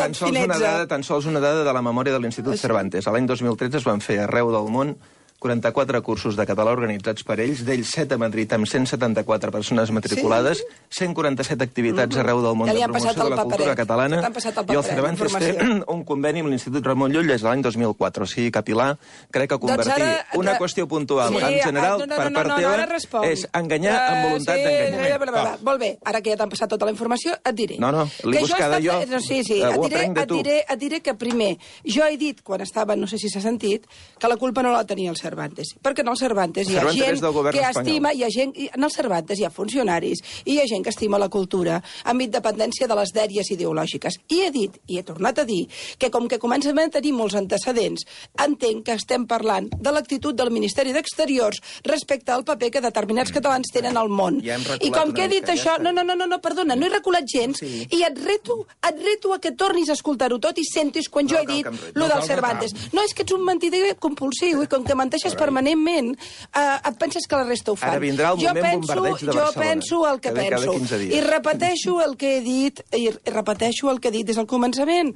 tan sols una dada de la memòria de l'Institut Cervantes. L'any 2013 es van fer arreu del món 44 cursos de català organitzats per ells, d'ells 7 a Madrid amb 174 persones matriculades, 147 activitats arreu del món de promoció de la cultura catalana, i el Cervantes té un conveni amb l'Institut Ramon Llull des de l'any 2004. O sigui que, Pilar, crec que convertir una qüestió puntual en general per part teva és enganyar amb voluntat d'enganyar. Molt bé, ara que ja t'han passat tota la informació, et diré. No, l'he buscada jo, ho aprenc de tu. Et diré que primer, jo he dit, quan estava, no sé si s'ha sentit, que la culpa no la tenia el Cervantes. Perquè en el Cervantes hi ha gent que estima, en el Cervantes hi ha funcionaris, i hi ha gent que estima la cultura amb independència de les dèries ideològiques. I he dit, i he tornat a dir, que com que comencem a tenir molts antecedents, entenc que estem parlant de l'actitud del Ministeri d'Exteriors respecte al paper que determinats catalans tenen al món. I com que he dit això... No, perdona, no he reculat gens, i et reto a que tornis a escoltar-ho tot i sentis quan jo he dit lo del Cervantes. No, és que ets un mentider compulsiu, i com que menteixes permanentment, et penses que la resta ho fan. Ara vindrà el moment bombardeig de Barcelona. Jo penso el que penso. I repeteixo el que he dit, des del començament.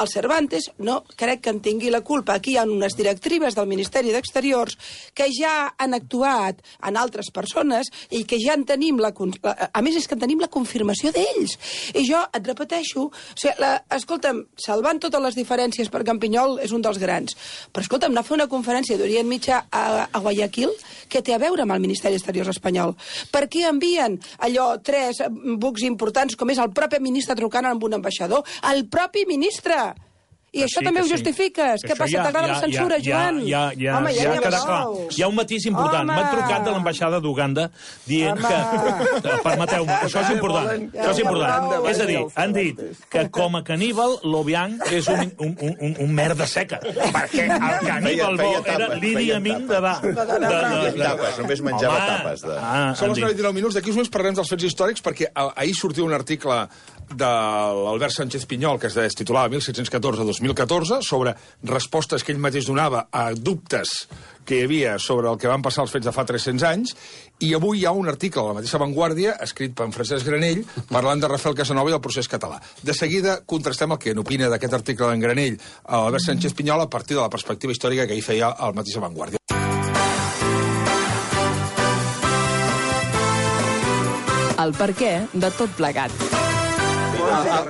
El Cervantes no crec que en tingui la culpa. Aquí hi ha unes directrius del Ministeri d'Exteriors que ja han actuat en altres persones i que ja en tenim a més, és que en tenim la confirmació d'ells. I jo et repeteixo, escolta'm, salvant totes les diferències, perquè en Pinyol és un dels grans, però escolta'm, anar a fer una conferència d'Orient Mitjà a Guayaquil, que té a veure amb el Ministeri d'Exteriors espanyol. Per què envien allò 3 bucs importants, com és el propi ministre trucant amb un ambaixador? El propi ministre! I això també ho justifiques? Què passa? T'agrada la censura, Joan? Ja queda clar. Hi ha un matís important. M'han trucat de l'ambaixada d'Uganda dient que... Permeteu-me, això és important. És a dir, han dit que com a caníbal, l'Obiang és un merda seca. Perquè el caníbal bo era l'Idi Amin de tapes, només menjava tapes. Són els 99 minuts. D'aquí uns moments parlarem dels fets històrics, perquè ahir sortia un article de l'Albert Sánchez Pinyol, que es titulava 1714-2014, sobre respostes que ell mateix donava a dubtes que hi havia sobre el que van passar els fets de fa 300 anys, i avui hi ha un article a la mateixa Vanguardia, escrit per Francesc Granell, parlant de Rafael Casanova i el procés català. De seguida contrastem el que n'opina d'aquest article d'en Granell a Albert Sánchez Pinyol a partir de la perspectiva històrica que ell feia a la mateixa Vanguardia. El perquè de tot plegat.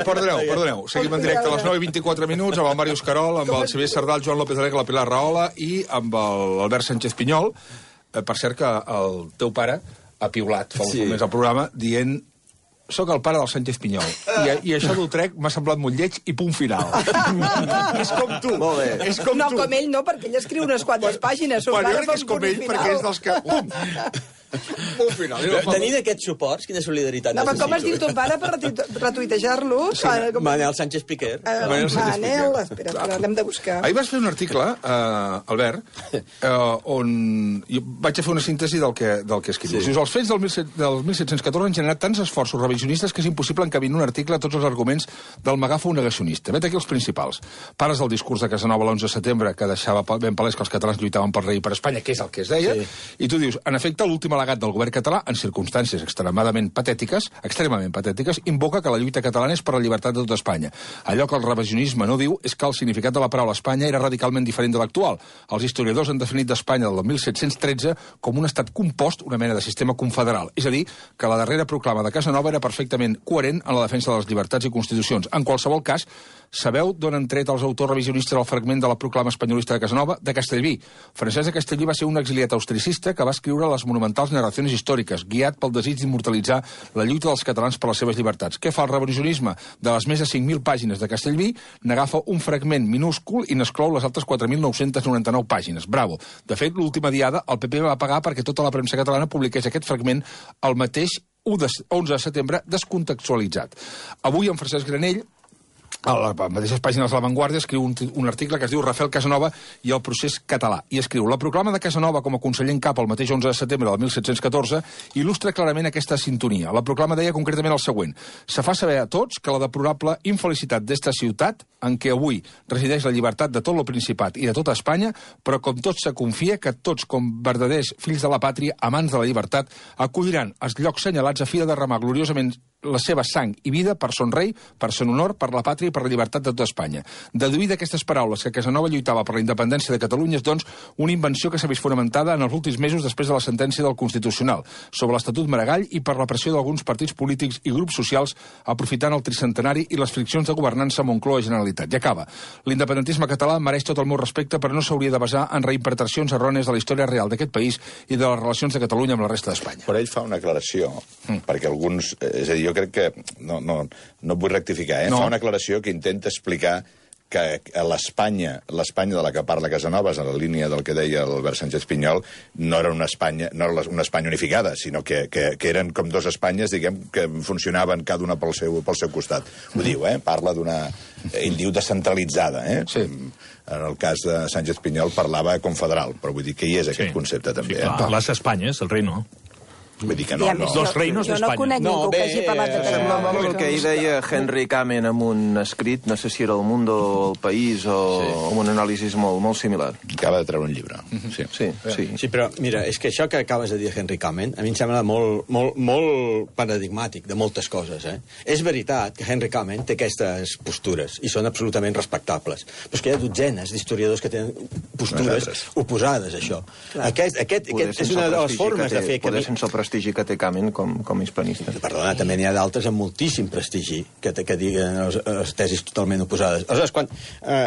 Perdoneu. Seguim en directe a les 9:24 minuts amb el Màrius Carol, amb el Xavier Sardal, Joan López Alegre, la Pilar Rahola i amb l'Albert Sánchez Pinyol. Per cert que el teu pare ha piulat fa uns moments al programa dient soc el pare del Sánchez Pinyol. I això d'Utrecht m'ha semblat molt lleig i punt final. És com tu. Molt bé. No, com ell no, perquè ell escriu unes quantes pàgines. Jo crec que és com ell, perquè és dels que... Punt final. Tenint aquests suports, quina solidaritat necessito. Com es diu ton pare per retuitejar-los? Manel Sánchez Piquer. Manel, espera, l'hem de buscar. Ahir vas fer un article, Albert, on jo vaig fer una síntesi del que escrius. Dius, els fets del 1714 han generat tants esforços revisionistes que és impossible encabir en un article tots els arguments del megàfon negacionista. Vet aquí els principals. Pares del discurs de Casanova l'11 de setembre, que deixava ben palès que els catalans lluitaven pel rei i per Espanya, que és el que es deia, i tu dius, en efecte, l'últim al·legat del govern català, en circumstàncies extremament patètiques, invoca que la lluita catalana és per la llibertat de tota Espanya. Allò que el revisionisme no diu és que el significat de la paraula Espanya era radicalment diferent de l'actual. Els historiadors han definit d'Espanya del 1713 com un estat compost, una mena de sistema confederal. És a dir, que la darrera proclama de Casanova era perfectament coherent en la defensa de les llibertats i constitucions. En qualsevol cas, Sabeu d'on han tret els autors revisionistes el fragment de la proclama espanyolista de Casanova? De Castellví. Francesc de Castellví va ser un exiliat austricista que va escriure les monumentals narracions històriques, guiat pel desig d'immortalitzar la lluita dels catalans per les seves llibertats. Què fa el revisionisme? De les més de 5.000 pàgines de Castellví, n'agafa un fragment minúscul i n'exclou les altres 4.999 pàgines. Bravo. De fet, l'última diada, el PP va pagar perquè tota la premsa catalana publiqués aquest fragment el mateix 11 de setembre descontextualitzat. Avui, en Francesc Granell, a les mateixes pàgines de La Vanguardia, escriu un article que es diu Rafael Casanova i el procés català. I escriu: la proclama de Casanova com a conseller en cap el mateix 11 de setembre del 1714 il·lustra clarament aquesta sintonia. La proclama deia concretament el següent: se fa saber a tots que la deplorable infelicitat d'esta ciutat, en què avui resideix la llibertat de tot el Principat i de tota Espanya, però com tots se confia que tots, com verdaders fills de la pàtria, amants de la llibertat, acolliran els llocs senyalats a fi de derramar gloriosament la seva sang i vida per son rei, per son honor, per la pàtria i per la llibertat de tota Espanya. Deduir d'aquestes paraules que Casanova lluitava per la independència de Catalunya és, doncs, una invenció que s'ha vist fonamentada en els últims mesos després de la sentència del Constitucional sobre l'Estatut Maragall i per la pressió d'alguns partits polítics i grups socials aprofitant el tricentenari i les friccions de governança Moncloa-Generalitat. I acaba. L'independentisme català mereix tot el meu respecte, però no s'hauria de basar en reinterpretacions errònies de la història real d'aquest país i de les relacions de Catalunya amb la resta d'Espanya. Però ell fa una aclaració, perquè alguns... És a dir, jo crec que... No vull rectificar, No. Fa una aclaració que intenta explicar que l'Espanya de la que parla Casanovas, en la línia del que deia l'Albert Sánchez Pinyol, no era una Espanya unificada, sinó que eren com dues Espanyes, diguem, que funcionaven cada una pel seu costat. Ho diu, parla d'una... Ell diu descentralitzada, Sí. En el cas de Sánchez Pinyol parlava confederal, però vull dir que hi és aquest concepte també. Sí, clar, les Espanyes, el rei no. Vull dir que no. Dos reinos d'Espanya. Jo no conec ningú que hagi parlat de Semblava Casanova. el que hi deia Henry Kamen en un escrit, no sé si era El Mundo o El País, o amb un anàlisi molt similar. Acaba de treure un llibre. Sí. Sí, però mira, és que això que acabes de dir Henry Kamen a mi em sembla molt paradigmàtic de moltes coses. És veritat que Henry Kamen té aquestes postures i són absolutament respectables, però és que hi ha dotzenes d'historiadors que tenen postures oposades a això. Aquest és una de les formes de fer... Poder sense el prestigi que té Kamen com hispanista. Perdona, també n'hi ha d'altres amb moltíssim prestigi que diguen les tesis totalment oposades. Aleshores, quan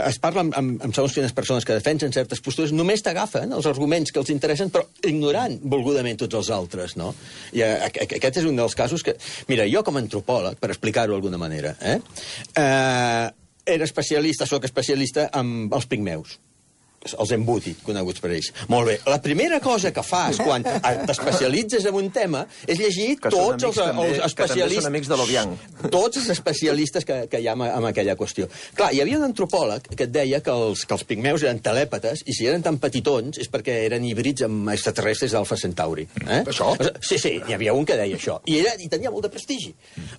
es parla amb segons quines persones que defensen certes postures, només t'agafen els arguments que els interessen, però ignorant volgudament tots els altres, no? I aquest és un dels casos que... Mira, jo com a antropòleg, per explicar-ho d'alguna manera, soc especialista amb els pigmeus. Els embuti, coneguts per ells. Molt bé. La primera cosa que fas quan t'especialitzes en un tema és llegir tots els especialistes... Que també són amics de l'Obiang. Tots els especialistes que hi ha en aquella qüestió. Clar, hi havia un antropòleg que et deia que els pigmeus eren telèpates i si eren tan petitons és perquè eren híbrids amb extraterrestres d'Alfa Centauri. Això? Sí, hi havia un que deia això. I tenia molt de prestigi.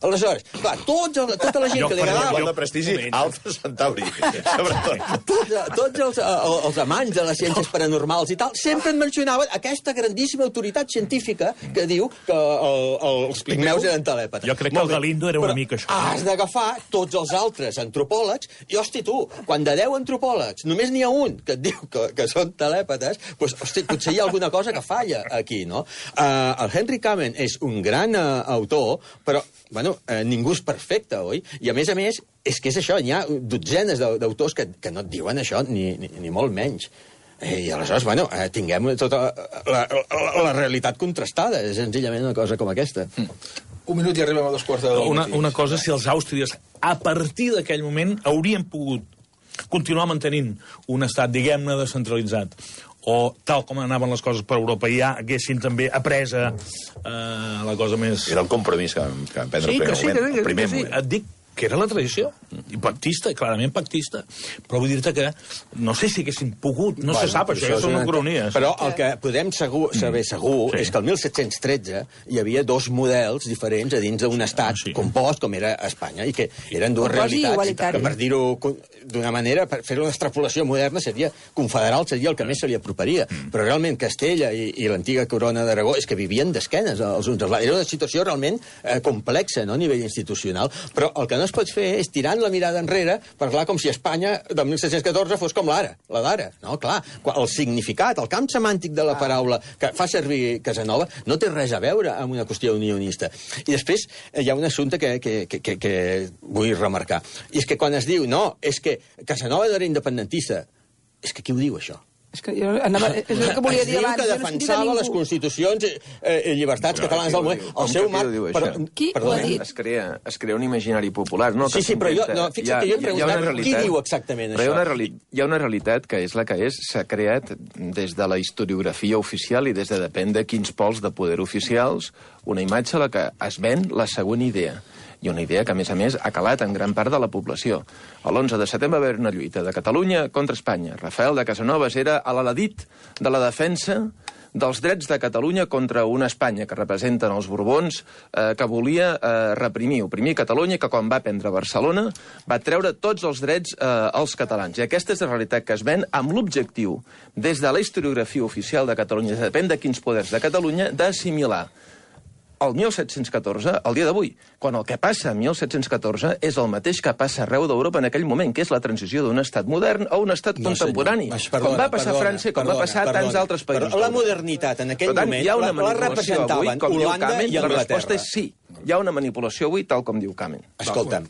Aleshores, clar, tota la gent que li agradava... Molt de prestigi, Alfa Centauri. Sobretot. Tots els amants de les ciències paranormals i tal, sempre en mencionaven aquesta grandíssima autoritat científica que diu que els pigmeus eren telèpates. Jo crec que el Galindo era una mica això. Has d'agafar tots els altres antropòlegs i, hosti, tu, quan de 10 antropòlegs només n'hi ha un que et diu que són telèpates, doncs, hosti, potser hi ha alguna cosa que falla aquí, no? El Henry Kamen és un gran autor, però, bueno, ningú és perfecte, oi? I, a més, és que és això, hi ha dotzenes d'autors que no et diuen això, ni molt menys. I aleshores, bueno, tinguem tota la realitat contrastada, és senzillament una cosa com aquesta. Un minut i arribem a 2:15. Una cosa, si els àustries, a partir d'aquell moment, haurien pogut continuar mantenint un estat, diguem-ne, descentralitzat, o tal com anaven les coses per Europa, i ja haguessin també apresa la cosa més... Era el compromís que vam prendre el primer moment. Et dic que era la tradició, i pactista, clarament pactista. Però vull dir-te que no sé si haguessin pogut, no se sap, això són ucronies. Però el que podem saber segur és que el 1713 hi havia dos models diferents a dins d'un estat compost, com era Espanya, i que eren dues realitats, que per dir-ho d'una manera, per fer una extrapolació moderna, confederal seria el que més se li aproparia. Però realment Castella i l'antiga corona d'Aragó és que vivien d'esquenes els uns als altres. Era una situació realment complexa, no?, a nivell institucional. Però el que no no es pot fer és tirant la mirada enrere, parlar com si Espanya del 1714 fos com la d'ara. No, clar, el significat, el camp semàntic de la paraula que fa servir Casanova no té res a veure amb una qüestió unionista. I després hi ha un assumpte que vull remarcar. I és que quan es diu, no, és que Casanova no era independentista, és que qui ho diu, això? És que jo anava, és el que volia dir abans. Es diu que defensava les constitucions i llibertats catalanes del moment. El seu marc... Qui ho ha dit? Es crea un imaginari popular. No, sí, però fixa't que jo he preguntat qui diu exactament això. Hi ha una realitat que és la que és. S'ha creat des de la historiografia oficial i des de depèn de quins pols de poder oficials una imatge a la que es ven la següent idea. I una idea que, a més, ha calat en gran part de la població. L'11 de setembre va haver una lluita de Catalunya contra Espanya. Rafael de Casanovas era a l'aladit de la defensa dels drets de Catalunya contra una Espanya que representen els Borbons, que volia oprimir Catalunya, que quan va prendre Barcelona va treure tots els drets als catalans. I aquesta és la realitat que es ven amb l'objectiu, des de la historiografia oficial de Catalunya, depèn de quins poders de Catalunya, d'assimilar el 1714, el dia d'avui, quan el que passa en 1714 és el mateix que passa arreu d'Europa en aquell moment, que és la transició d'un estat modern a un estat contemporani. Com va passar a França, com va passar a tants altres països. La modernitat en aquell moment la representaven Holanda i Anglaterra. La resposta és sí. Hi ha una manipulació avui, tal com diu Kamen. Escolta,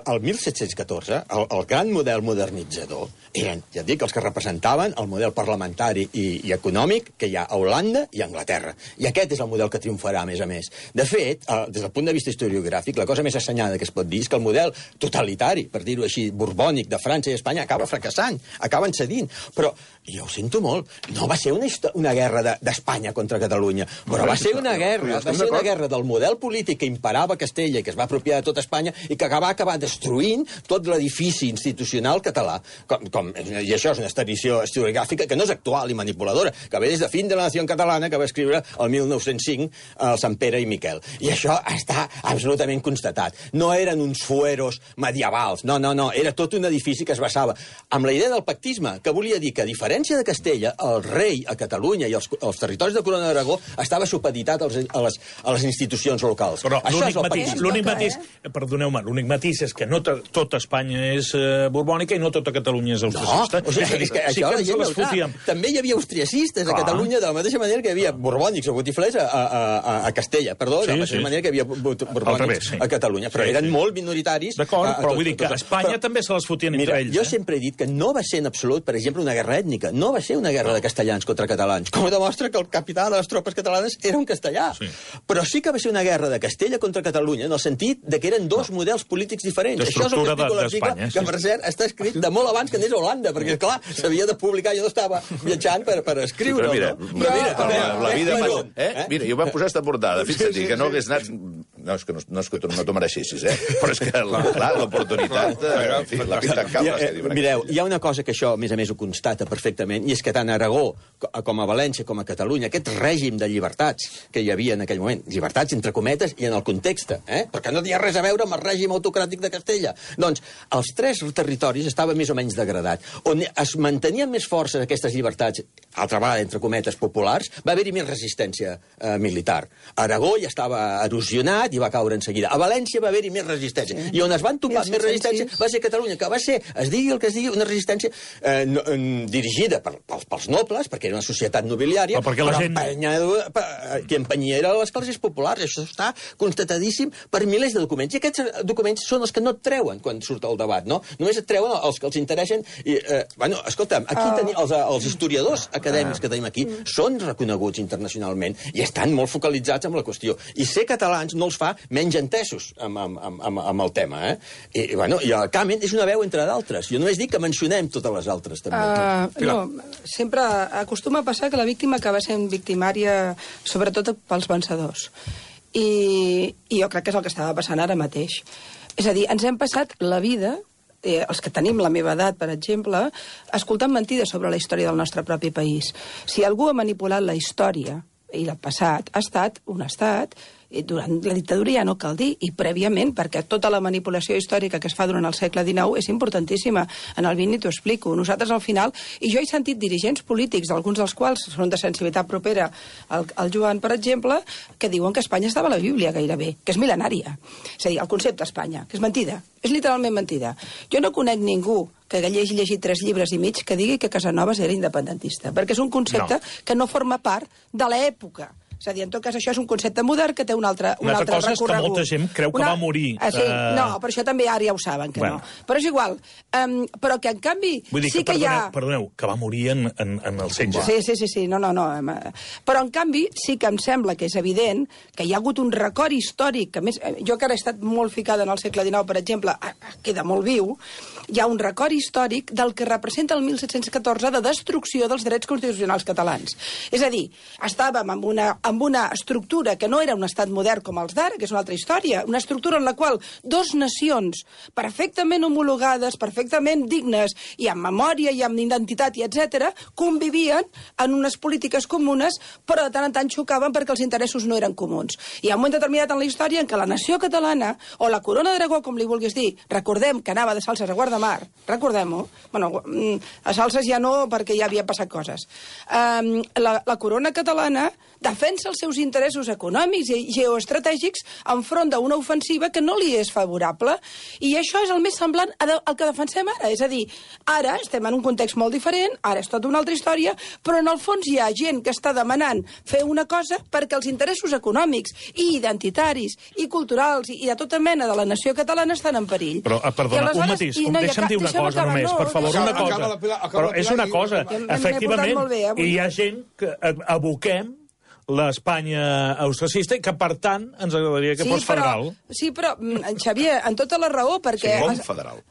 el 1714, el gran model modernitzador, eren, ja et dic, els que representaven el model parlamentari i econòmic que hi ha a Holanda i a Anglaterra. I aquest és el model que triomfarà, a més. De fet, des del punt de vista historiogràfic, la cosa més assenyada que es pot dir és que el model totalitari, per dir-ho així, borbònic de França i Espanya, acaba fracassant, acaben cedint. Però, jo ho sento molt, no va ser una guerra d'Espanya contra Catalunya, però va ser una guerra del model polític que imperava a Castella i que es va apropiar de tot Espanya i que va acabar destruint tot l'edifici institucional català. I això és una tradició historiogràfica que no és actual i manipuladora, que ve des de Fin de la Nació Catalana, que va escriure el 1905 el Sant Pere i Miquel. I això està absolutament constatat. No eren uns fueros medievals, no, era tot un edifici que es basava amb la idea del pactisme, que volia dir que, a diferència de Castella, el rei a Catalunya i els territoris de Corona d'Aragó estava supeditat a les institucions locals. Però l'únic matís, perdoneu-me, l'únic matís és que no tota Espanya és borbònica i no tota Catalunya és austriacista. És que això la gent no ho sap. També hi havia austriacistes a Catalunya, de la mateixa manera que hi havia borbònics o botiflers a Castella, perdó, de la mateixa manera que hi havia borbònics a Catalunya, però eren molt minoritaris. D'acord, però vull dir que a Espanya també se les fotien entre ells. Jo sempre he dit que no va ser en absolut, per exemple, una guerra ètnica, no va ser una guerra de castellans contra catalans, com demostra que el capità de les tropes catalanes era un castellà. Però sí que va ser una guerra de Castella contra Catalunya, en el sentit de que eren dos models polítics diferents. Això és el que explico a l'article, que per cert està escrit de molt abans que anés a Holanda, perquè, clar, s'havia de publicar, jo no estava viatjant per escriure-ho. La vida passa... Mira, jo vam posar esta portada, fixa't, que no hagués anat... No, és que no t'ho mereixessis, però és que, clar, l'oportunitat... La pinta en caldes, que diuen. Mireu, hi ha una cosa que això, a més ho constata perfectament, i és que tant a Aragó, com a València, com a Catalunya, aquest règim de llibertats que hi havia en aquell moment, llibertats entre cometes i en el context, perquè no tenia res a veure amb el règim autocràtic de Castella. Doncs els tres territoris estaven més o menys degradats. On es mantenien més forces aquestes llibertats, altra vegada, entre cometes, populars, va haver-hi més resistència militar. Aragó ja estava erosionat i va caure en seguida. A València va haver-hi més resistència. I on es van topar més resistència va ser Catalunya, que va ser, es digui el que es digui, una resistència dirigida pels nobles, perquè era una societat nobiliària, però qui empenyia era les classes populars. Això està constatadíssim per milers de documents. I aquests documents són els que no et treuen quan surt el debat, no? Només et treuen els que els interessen. Bueno, escolta'm, aquí els historiadors acadèmics que tenim aquí són reconeguts internacionalment i estan molt focalitzats en la qüestió. I ser catalans no els fa menys entesos amb el tema, I el Kamen és una veu entre d'altres. Jo només dic que mencionem totes les altres, també. No, sempre acostuma a passar que la víctima acaba sent victimària, sobretot pels vencedors. I jo crec que és el que estava passant ara mateix. És a dir, ens hem passat la vida, els que tenim la meva edat, per exemple, escoltant mentides sobre la història del nostre propi país. Si algú ha manipulat la història i el passat, ha estat un estat I durant la dictadura ja no cal dir, i prèviament, perquè tota la manipulació històrica que es fa durant el segle XIX és importantíssima. En el XX t'ho explico. Nosaltres, al final, i jo he sentit dirigents polítics, alguns dels quals són de sensibilitat propera al Joan, per exemple, que diuen que Espanya estava a la Bíblia gairebé, que és mil·lenària. És a dir, el concepte Espanya, que és mentida. És literalment mentida. Jo no conec ningú que hagi llegit 3 llibres i mig que digui que Casanovas era independentista, perquè és un concepte que no forma part de l'època. És a dir, en tot cas, això és un concepte modern que té un altre recorregut. Una altra cosa és que molta gent creu que va morir. Sí, no, però això també ara ja ho saben, que no. Però és igual. Però que, en canvi, sí que hi ha... Perdoneu, que va morir en el setge. Sí, no. Però, en canvi, sí que em sembla que és evident que hi ha hagut un record històric, que més, jo que ara he estat molt ficada en el segle XIX, per exemple, queda molt viu, hi ha un record històric del que representa el 1714 de destrucció dels drets constitucionals catalans. És a dir, estàvem amb una estructura que no era un estat modern com els d'ara, que és una altra història, una estructura en la qual 2 nacions perfectament homologades, perfectament dignes, i amb memòria, i amb identitat, i etc., convivien en unes polítiques comunes, però de tant en tant xocaven perquè els interessos no eren comuns. Hi ha un moment determinat en la història en què la nació catalana, o la corona d'Aragó, com li vulguis dir, recordem que anava de Salses a Guardamar, recordem-ho, bueno, a Salses ja no, perquè ja havia passat coses. La corona catalana defensa els seus interessos econòmics i geoestratègics enfront d'una ofensiva que no li és favorable, i això és el més semblant al que defensem ara. És a dir, ara estem en un context molt diferent, ara és tota una altra història, però en el fons hi ha gent que està demanant fer una cosa perquè els interessos econòmics i identitaris i culturals i de tota mena de la nació catalana estan en perill. Però, perdona, un matís, deixa'm dir una cosa només, per favor, una cosa. Però és una cosa, efectivament, hi ha gent que aboquem l'Espanya austracista i que, per tant, ens agradaria que fos federal. Sí, però, Xavier, en tota la raó, perquè... Sí, confederal.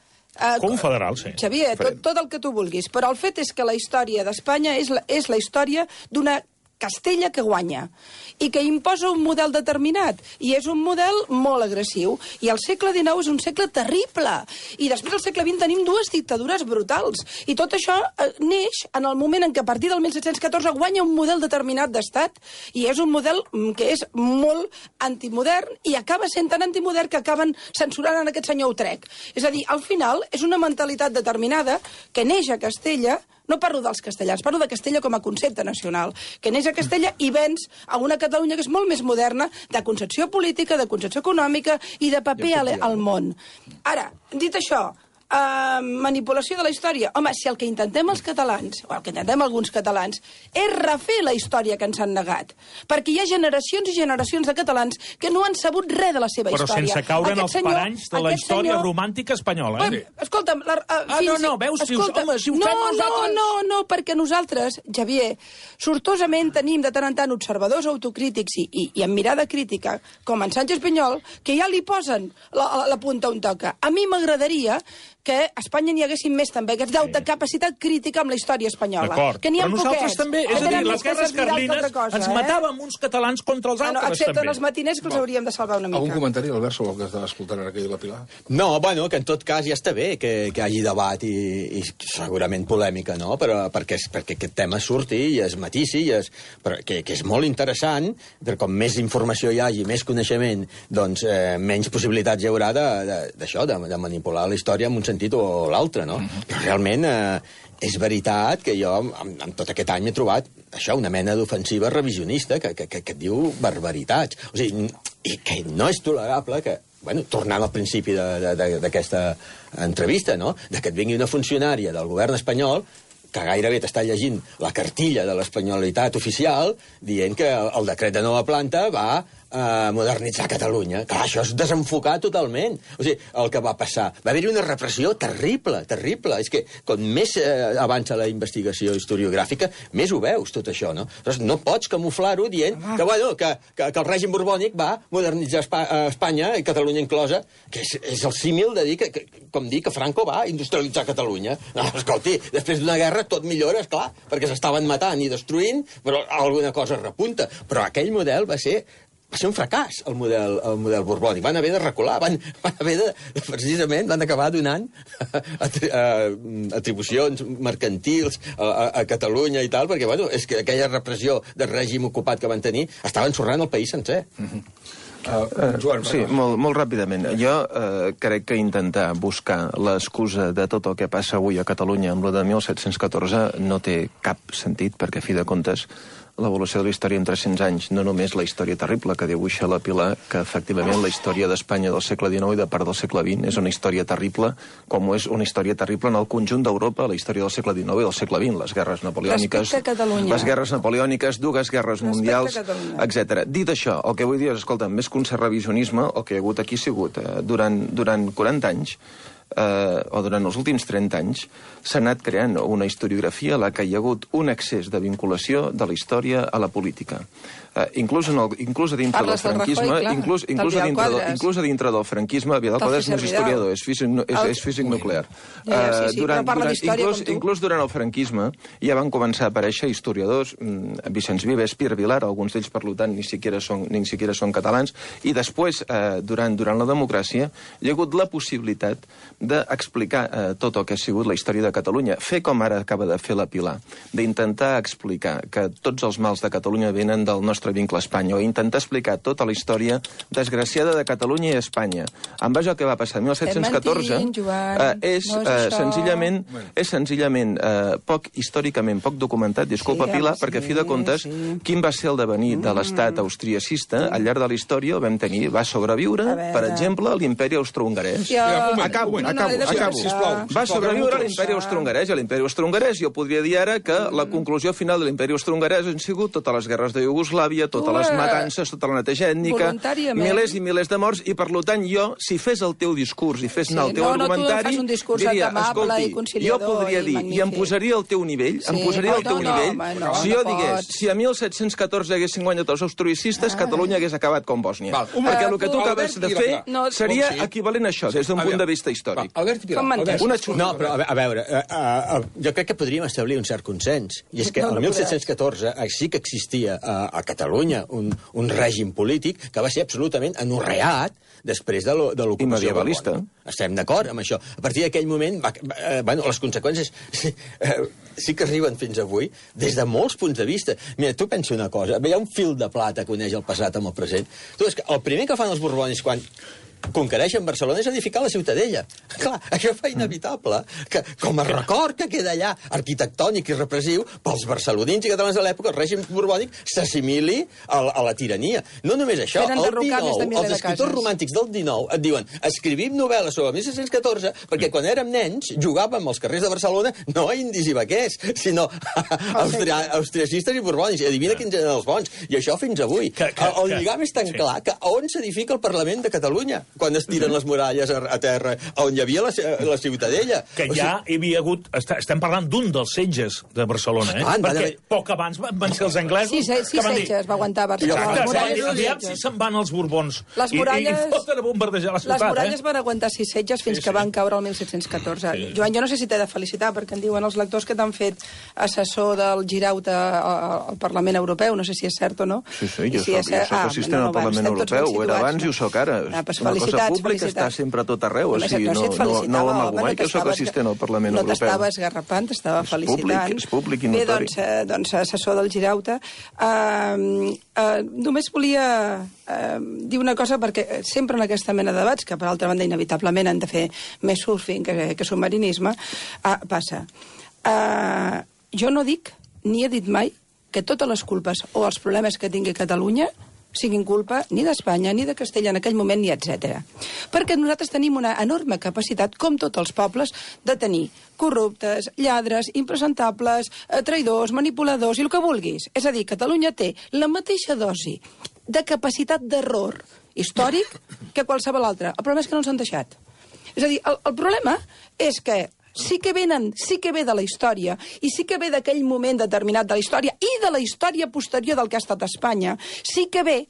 Confederal, sí. Xavier, tot el que tu vulguis, però el fet és que la història d'Espanya és la història d'una Castella que guanya i que imposa un model determinat, i és un model molt agressiu, i el segle XIX és un segle terrible, i després al segle XX tenim 2 dictadures brutals, i tot això neix en el moment en què a partir del 1714 guanya un model determinat d'estat, i és un model que és molt antimodern, i acaba sent tan antimodern que acaben censurant en aquest senyor Utrecht. És a dir, al final és una mentalitat determinada que neix a Castella. No parlo dels castellans, parlo de Castella com a concepte nacional, que neix a Castella i venç a una Catalunya que és molt més moderna, de concepció política, de concepció econòmica i de paper al món. Ara, dit això, manipulació de la història. Home, si el que intentem els catalans, o el que intentem alguns catalans, és refer la història que ens han negat, perquè hi ha generacions i generacions de catalans que no han sabut res de la seva història. Però sense caure en els paranys de la història romàntica espanyola, eh? Escolta'm... veus, si ho fem nosaltres... No, perquè nosaltres, Xavier, sortosament tenim de tant en tant observadors autocrítics i amb mirada crítica, com en Sánchez Peñol, que ja li posen la punta on toca. A mi m'agradaria que a Espanya n'hi haguessin més també, aquests de capacitat crítica amb la història espanyola. D'acord, però nosaltres també, és a dir, les guerres carlines ens matàvem uns catalans contra els altres, excepte en els matiners, que els hauríem de salvar una mica. Algun comentari, Albert, sobre el que estava escoltant ara que la Pilar? No, bueno, que en tot cas ja està bé que hi hagi debat i segurament polèmica, no? Però perquè aquest tema surti i es matisi, que és molt interessant, però com més informació hi hagi, més coneixement, doncs menys possibilitats hi haurà d'això, de manipular la història en un sentit o l'altre, no? Però realment és veritat que jo en tot aquest any he trobat això, una mena d'ofensiva revisionista que et diu barbaritats. O sigui, i que no és tolerable que, bueno, tornant al principi d'aquesta entrevista, no?, de que et vingui una funcionària del govern espanyol que gairebé t'està llegint la cartilla de l'espanyolitat oficial dient que el decret de nova planta va modernitzar Catalunya. Clar, això és desenfocar totalment. O sigui, el que va passar... Va haver-hi una repressió terrible, terrible. És que com més avança la investigació historiogràfica, més ho veus, tot això, no? Llavors, no pots camuflar-ho dient que, bueno, que el règim borbònic va modernitzar Espanya, i Catalunya inclosa, que és el símil de dir que Franco va industrialitzar Catalunya. No, escolti, després d'una guerra tot millora, esclar, perquè s'estaven matant i destruint, però alguna cosa repunta. Però aquell model va ser un fracàs, el model borbònic. Van haver de recular, van haver de... Precisament van acabar donant atribucions mercantils a Catalunya i tal, perquè, bueno, és que aquella repressió del règim ocupat que van tenir estava ensorrant el país sencer. Joan, sí, molt ràpidament. Jo crec que intentar buscar l'excusa de tot el que passa avui a Catalunya amb lo de 1714 no té cap sentit, perquè, a fi de comptes, l'evolució de la història en 300 anys, no només la història terrible que dibuixa la Pilar, que efectivament la història d'Espanya del segle XIX i de part del segle XX és una història terrible, com és una història terrible en el conjunt d'Europa, la història del segle XIX i del segle XX, les guerres napoleòniques, dues guerres mundials, etc. Dit això, el que vull dir és, escolta, més que un cert revisionisme, el que hi ha hagut aquí ha sigut, durant 40 anys, o durant els últims 30 anys, s'ha anat creant una historiografia a la que hi ha hagut un excés de vinculació de la història a la política. Inclús dintre del franquisme, inclús dintre del franquisme, Vidal Quadras no és historiador, és físic nuclear. Inclús durant el franquisme ja van començar a aparèixer historiadors, Vicenç Vives, Pierre Vilar, alguns d'ells, per tant, ni siquiera són catalans, i després, durant la democràcia, hi ha hagut la possibilitat d'explicar tot el que ha sigut la història de Catalunya. Fer com ara acaba de fer la Pilar, d'intentar explicar que tots els mals de Catalunya venen del nostre vincle a Espanya, o intentar explicar tota la història desgraciada de Catalunya i Espanya. En base al que va passar en 1714, és senzillament històricament poc documentat, disculpa, Pilar, perquè a fi de comptes, quin va ser el devenir de l'estat austriacista al llarg de la història? El vam tenir, va sobreviure, per exemple, l'imperi austrohongarès. Acabo. Va sobreviure l'imperi austrohongarès, i l'imperi austrohongarès jo podria dir ara que la conclusió final de l'imperi austrohongarès han sigut totes les guerres de Iugoslàvia, totes les matances, tota la neteja ètnica, milers i milers de morts, i per tant jo, si fes el teu discurs i fes anar el teu argumentari, diria, escolti, jo podria dir, i em posaria al teu nivell, si jo digués, si a 1714 haguessin guanyat els austriacistes, Catalunya hagués acabat com Bòsnia. Perquè el que tu acabes de fer seria equivalent a això, des d'un punt de vista històric. No, però a veure, jo crec que podríem establir un cert consens, i és que el 1714 sí que existia a Catalunya un règim polític que va ser absolutament anorreat després de l'ocupació medievalista. Estem d'acord amb això. A partir d'aquell moment, les conseqüències sí que arriben fins avui des de molts punts de vista. Mira, tu pensa una cosa, hi ha un fil de plata que uneix el passat amb el present. Tu, és que el primer que fan els borbonis quan conquereixen Barcelona és edificar la Ciutadella. Clar, això fa inevitable que, com a record que queda allà, arquitectònic i repressiu, pels barcelonins i catalans de l'època, el règim borbònic s'assimili a la tirania. No només això, els escriptors romàntics del XIX et diuen escrivim novel·les sobre 1714 perquè quan érem nens jugàvem als carrers de Barcelona no a indis i vaquers, sinó austriacistes i borbònics. I adivina quins eren els bons. I això fins avui. El lligam és tan clar que on s'edifica el Parlament de Catalunya? Quan es tiren les muralles a terra, on hi havia la Ciutadella. Que ja hi havia hagut... Estem parlant d'un dels setges de Barcelona, perquè poc abans van ser els anglesos... Sí, setges va aguantar Barcelona. Aviam si se'n van els borbons i foten a bombardejar la ciutat. Les muralles van aguantar 6 setges fins que van caure el 1714. Joan, jo no sé si t'he de felicitar, perquè em diuen els lectors que t'han fet assessor del Girauta al Parlament Europeu, no sé si és cert o no. Sí, jo soc assistent al Parlament Europeu, ho era abans i ho soc ara. Una cosa pública està sempre a tot arreu, o sigui, no ho amago mai, que soc assistent al Parlament Europeu. No t'estava esgarrapant, t'estava felicitant. És públic i notori. Bé, doncs, assessor del Girauta. Només volia dir una cosa, perquè sempre en aquesta mena de debats, que per altra banda inevitablement han de fer més surfing que submarinisme, passa. Jo no dic, ni he dit mai, que totes les culpes o els problemes que tingui Catalunya siguin culpa ni d'Espanya, ni de Castella en aquell moment, ni etc. Perquè nosaltres tenim una enorme capacitat, com tots els pobles, de tenir corruptes, lladres, impresentables, traïdors, manipuladors i el que vulguis. És a dir, Catalunya té la mateixa dosi de capacitat d'error històric que qualsevol altre. El problema és que no ens han deixat. És a dir, el problema és que sí que ve de la història i sí que ve d'aquell moment determinat de la història i de la història posterior del que ha estat Espanya, sí que ve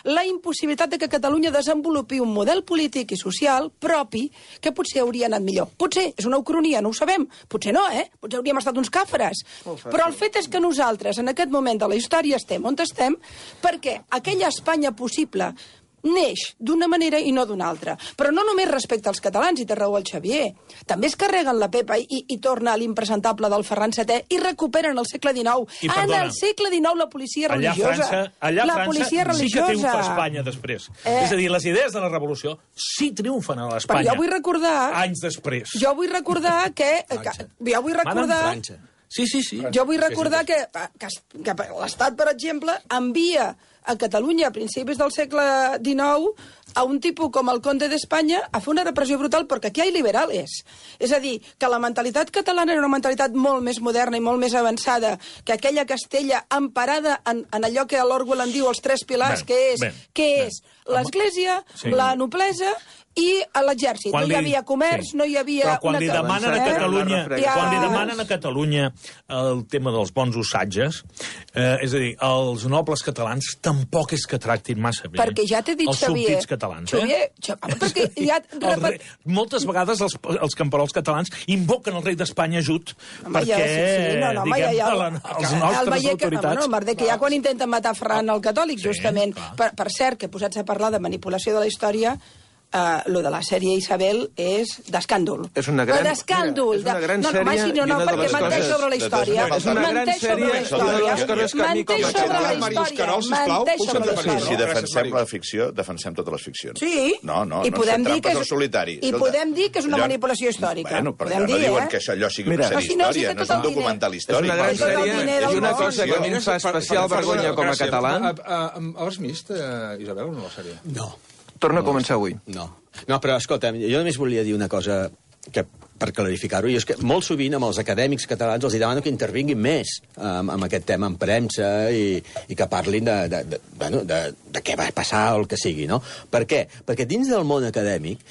la impossibilitat de que Catalunya desenvolupi un model polític i social propi que potser hauria anat millor. Potser, és una ucronia, no ho sabem. Potser no, Potser hauríem estat uns càfres. Però el fet és que nosaltres, en aquest moment de la història, estem on estem, perquè aquella Espanya possible neix d'una manera i no d'una altra. Però no només respecte als catalans, i té raó el Xavier. També es carreguen la Pepa i torna a l'impresentable del Ferran VII i recuperen el segle XIX. En el segle XIX la policia religiosa. Allà a França sí que triomfa Espanya després. És a dir, les idees de la revolució sí triomfen a l'Espanya. Però jo vull recordar... Anys després. Jo vull recordar que... Jo vull recordar... Sí. Jo vull recordar que l'Estat, per exemple, envia a Catalunya a principis del segle XIX a un tipus com el Conde d'Espanya a fer una repressió brutal perquè aquí hi ha liberales. És a dir, que la mentalitat catalana era una mentalitat molt més moderna i molt més avançada que aquella Castella emparada en allò que l'Orwell en diu els tres pilars, que és l'Església, la noblesa i a l'exèrcit. No hi havia comerç, no hi havia... Però quan li demanen a Catalunya, quan li demanen a Catalunya el tema dels bons usatges, és a dir, els nobles catalans tampoc és que tractin massa bé. Perquè ja t'he dit, Xavier... Els súbdits catalans, perquè ja... Moltes vegades els camperols catalans invoquen el rei d'Espanya ajut perquè, diguem, els nostres autoritats... El merder que ja quan intenten matar Ferran el catòlic, justament. Per cert, que posats a parlar de manipulació de la història... lo de la sèrie Isabel és d'escàndol. És una gran sèrie no, perquè menteix sobre la història. És una gran sèrie i una de les coses que a mi com a català... Si defensem la ficció, defensem totes les ficcions. Sí. No fem trampes al solitari. I podem dir que és una manipulació històrica. Bueno, però no diuen que allò sigui una sèrie història, no és un documental històric. És una gran sèrie i una cosa que a mi em fa especial vergonya com a català... Has vist, Isabel, o no la sèrie? No. Torna a començar avui. No, però escolta, jo només volia dir una cosa que per clarificar-ho, i és que molt sovint amb els acadèmics catalans els demano que intervinguin més amb aquest tema en premsa i que parlin de què va passar o el que sigui, no? Per què? Perquè dins del món acadèmic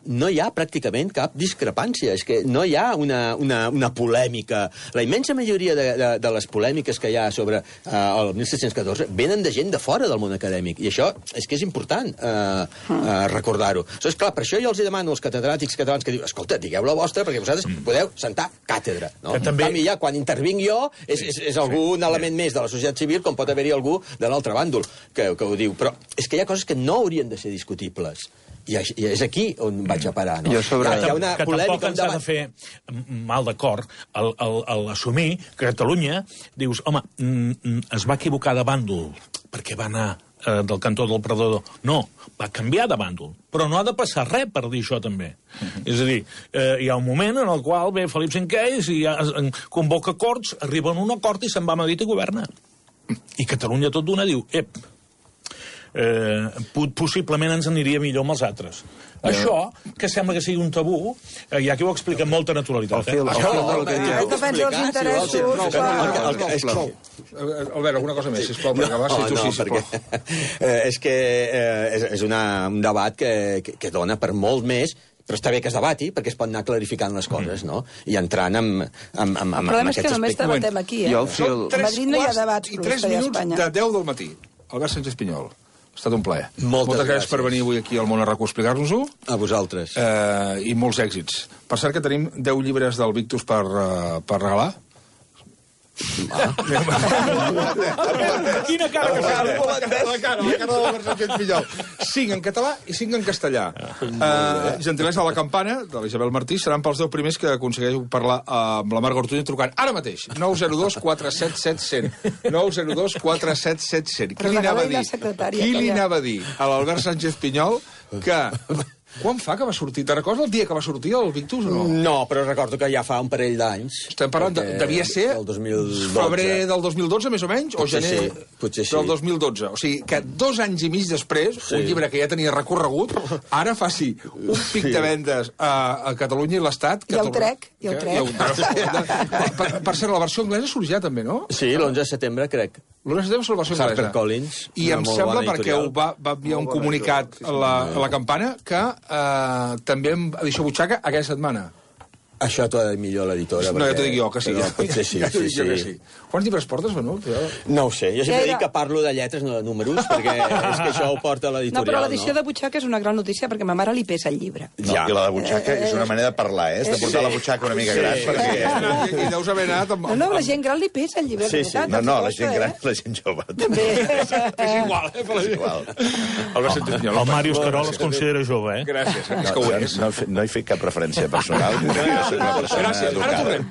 no hi ha pràcticament cap discrepància, és que no hi ha una polèmica. La immensa majoria de les polèmiques que hi ha sobre el 1714 venen de gent de fora del món acadèmic, i això és que és important recordar-ho. És clar, per això jo els demano als catedràtics catalans que diuen, escolta, digueu la vostra, perquè vosaltres podeu sentar càtedra. No? En canvi, ja, quan intervinc jo, és algun element més de la societat civil, com pot haver-hi algú de l'altre bàndol que ho diu. Però és que hi ha coses que no haurien de ser discutibles. I és aquí on vaig a parar, no? Que tampoc ens ha de fer mal d'acord l'assumir que Catalunya, dius, home, es va equivocar de bàndol perquè va anar del cantó del Predador. No, va canviar de bàndol. Però no ha de passar res per dir això, també. És a dir, hi ha un moment en el qual ve Felip V i convoca Corts, arriba a un acord i se'n va a Madrid i governa. I Catalunya tot d'una diu, possiblement ens aniria millor amb els altres. Això, que sembla que sigui un tabú, hi ha qui ho explica amb molta naturalitat. Defensa els interessos... Albert, alguna cosa més, sisplau, per acabar, si tu sí, sisplau. És que és un debat que dona per molt més, però està bé que es debati, perquè es pot anar clarificant les coses, no? I entrant amb aquests aspectes. El problema és que només debatem aquí, A Madrid no hi ha debats. I 3 minuts de 10 del matí. Albert Sánchez Pinyol. Ha estat un plaer. Moltes gràcies per venir avui aquí al Món a RAC a explicar-nos-ho. A vosaltres. I molts èxits. Per cert que tenim 10 llibres del Victus per regalar. Quina cara que fa! La cara de l'Albert Sánchez Pinyol. 5 en català i 5 en castellà. Gentilesa de la campana, de l'Isabel Martí, seran pels 10 primers que aconsegueixo parlar amb la Marga Ortuño trucant ara mateix. 902 477 100. 902 477 100. Qui li anava a dir a l'Albert Sánchez Pinyol que... Quan fa que va sortir? Te recordes el dia que va sortir el Victus o no? No, però recordo que ja fa un parell d'anys. Estem parlant, devia ser febrer del 2012, més o menys, o gener del 2012. O sigui, que 2 anys i mig després, un llibre que ja tenia recorregut, ara faci un pic de vendes a Catalunya i l'Estat... I el trec. Per cert, la versió anglesa surt ja també, no? Sí, l'11 de setembre, crec. L'11 de setembre és la versió anglesa. HarperCollins. I em sembla, perquè ho va enviar un comunicat a la campana, que també edició butxaca aquesta setmana. Això t'ho ha de dir millor l'editora. No, ja t'ho dic jo, que sí. Potser sí, sí. Quants llibres portes, Benut? No ho sé, jo sempre dic que parlo de lletres, no de números, perquè és que això ho porta l'editorial, no? Però l'edició de butxaca és una gran notícia, perquè a ma mare li pesa el llibre. I la de butxaca és una manera de parlar, és de portar la butxaca una mica gran, perquè... I deus haver anat amb... No, la gent gran li pesa el llibre, veritat. No, la gent gran, la gent jove. També. És igual, És igual. El Màrius Carol es considera jove, eh? Gràcies, és que ho és. No he fet cap referència personal. Gràcies, ara tornem.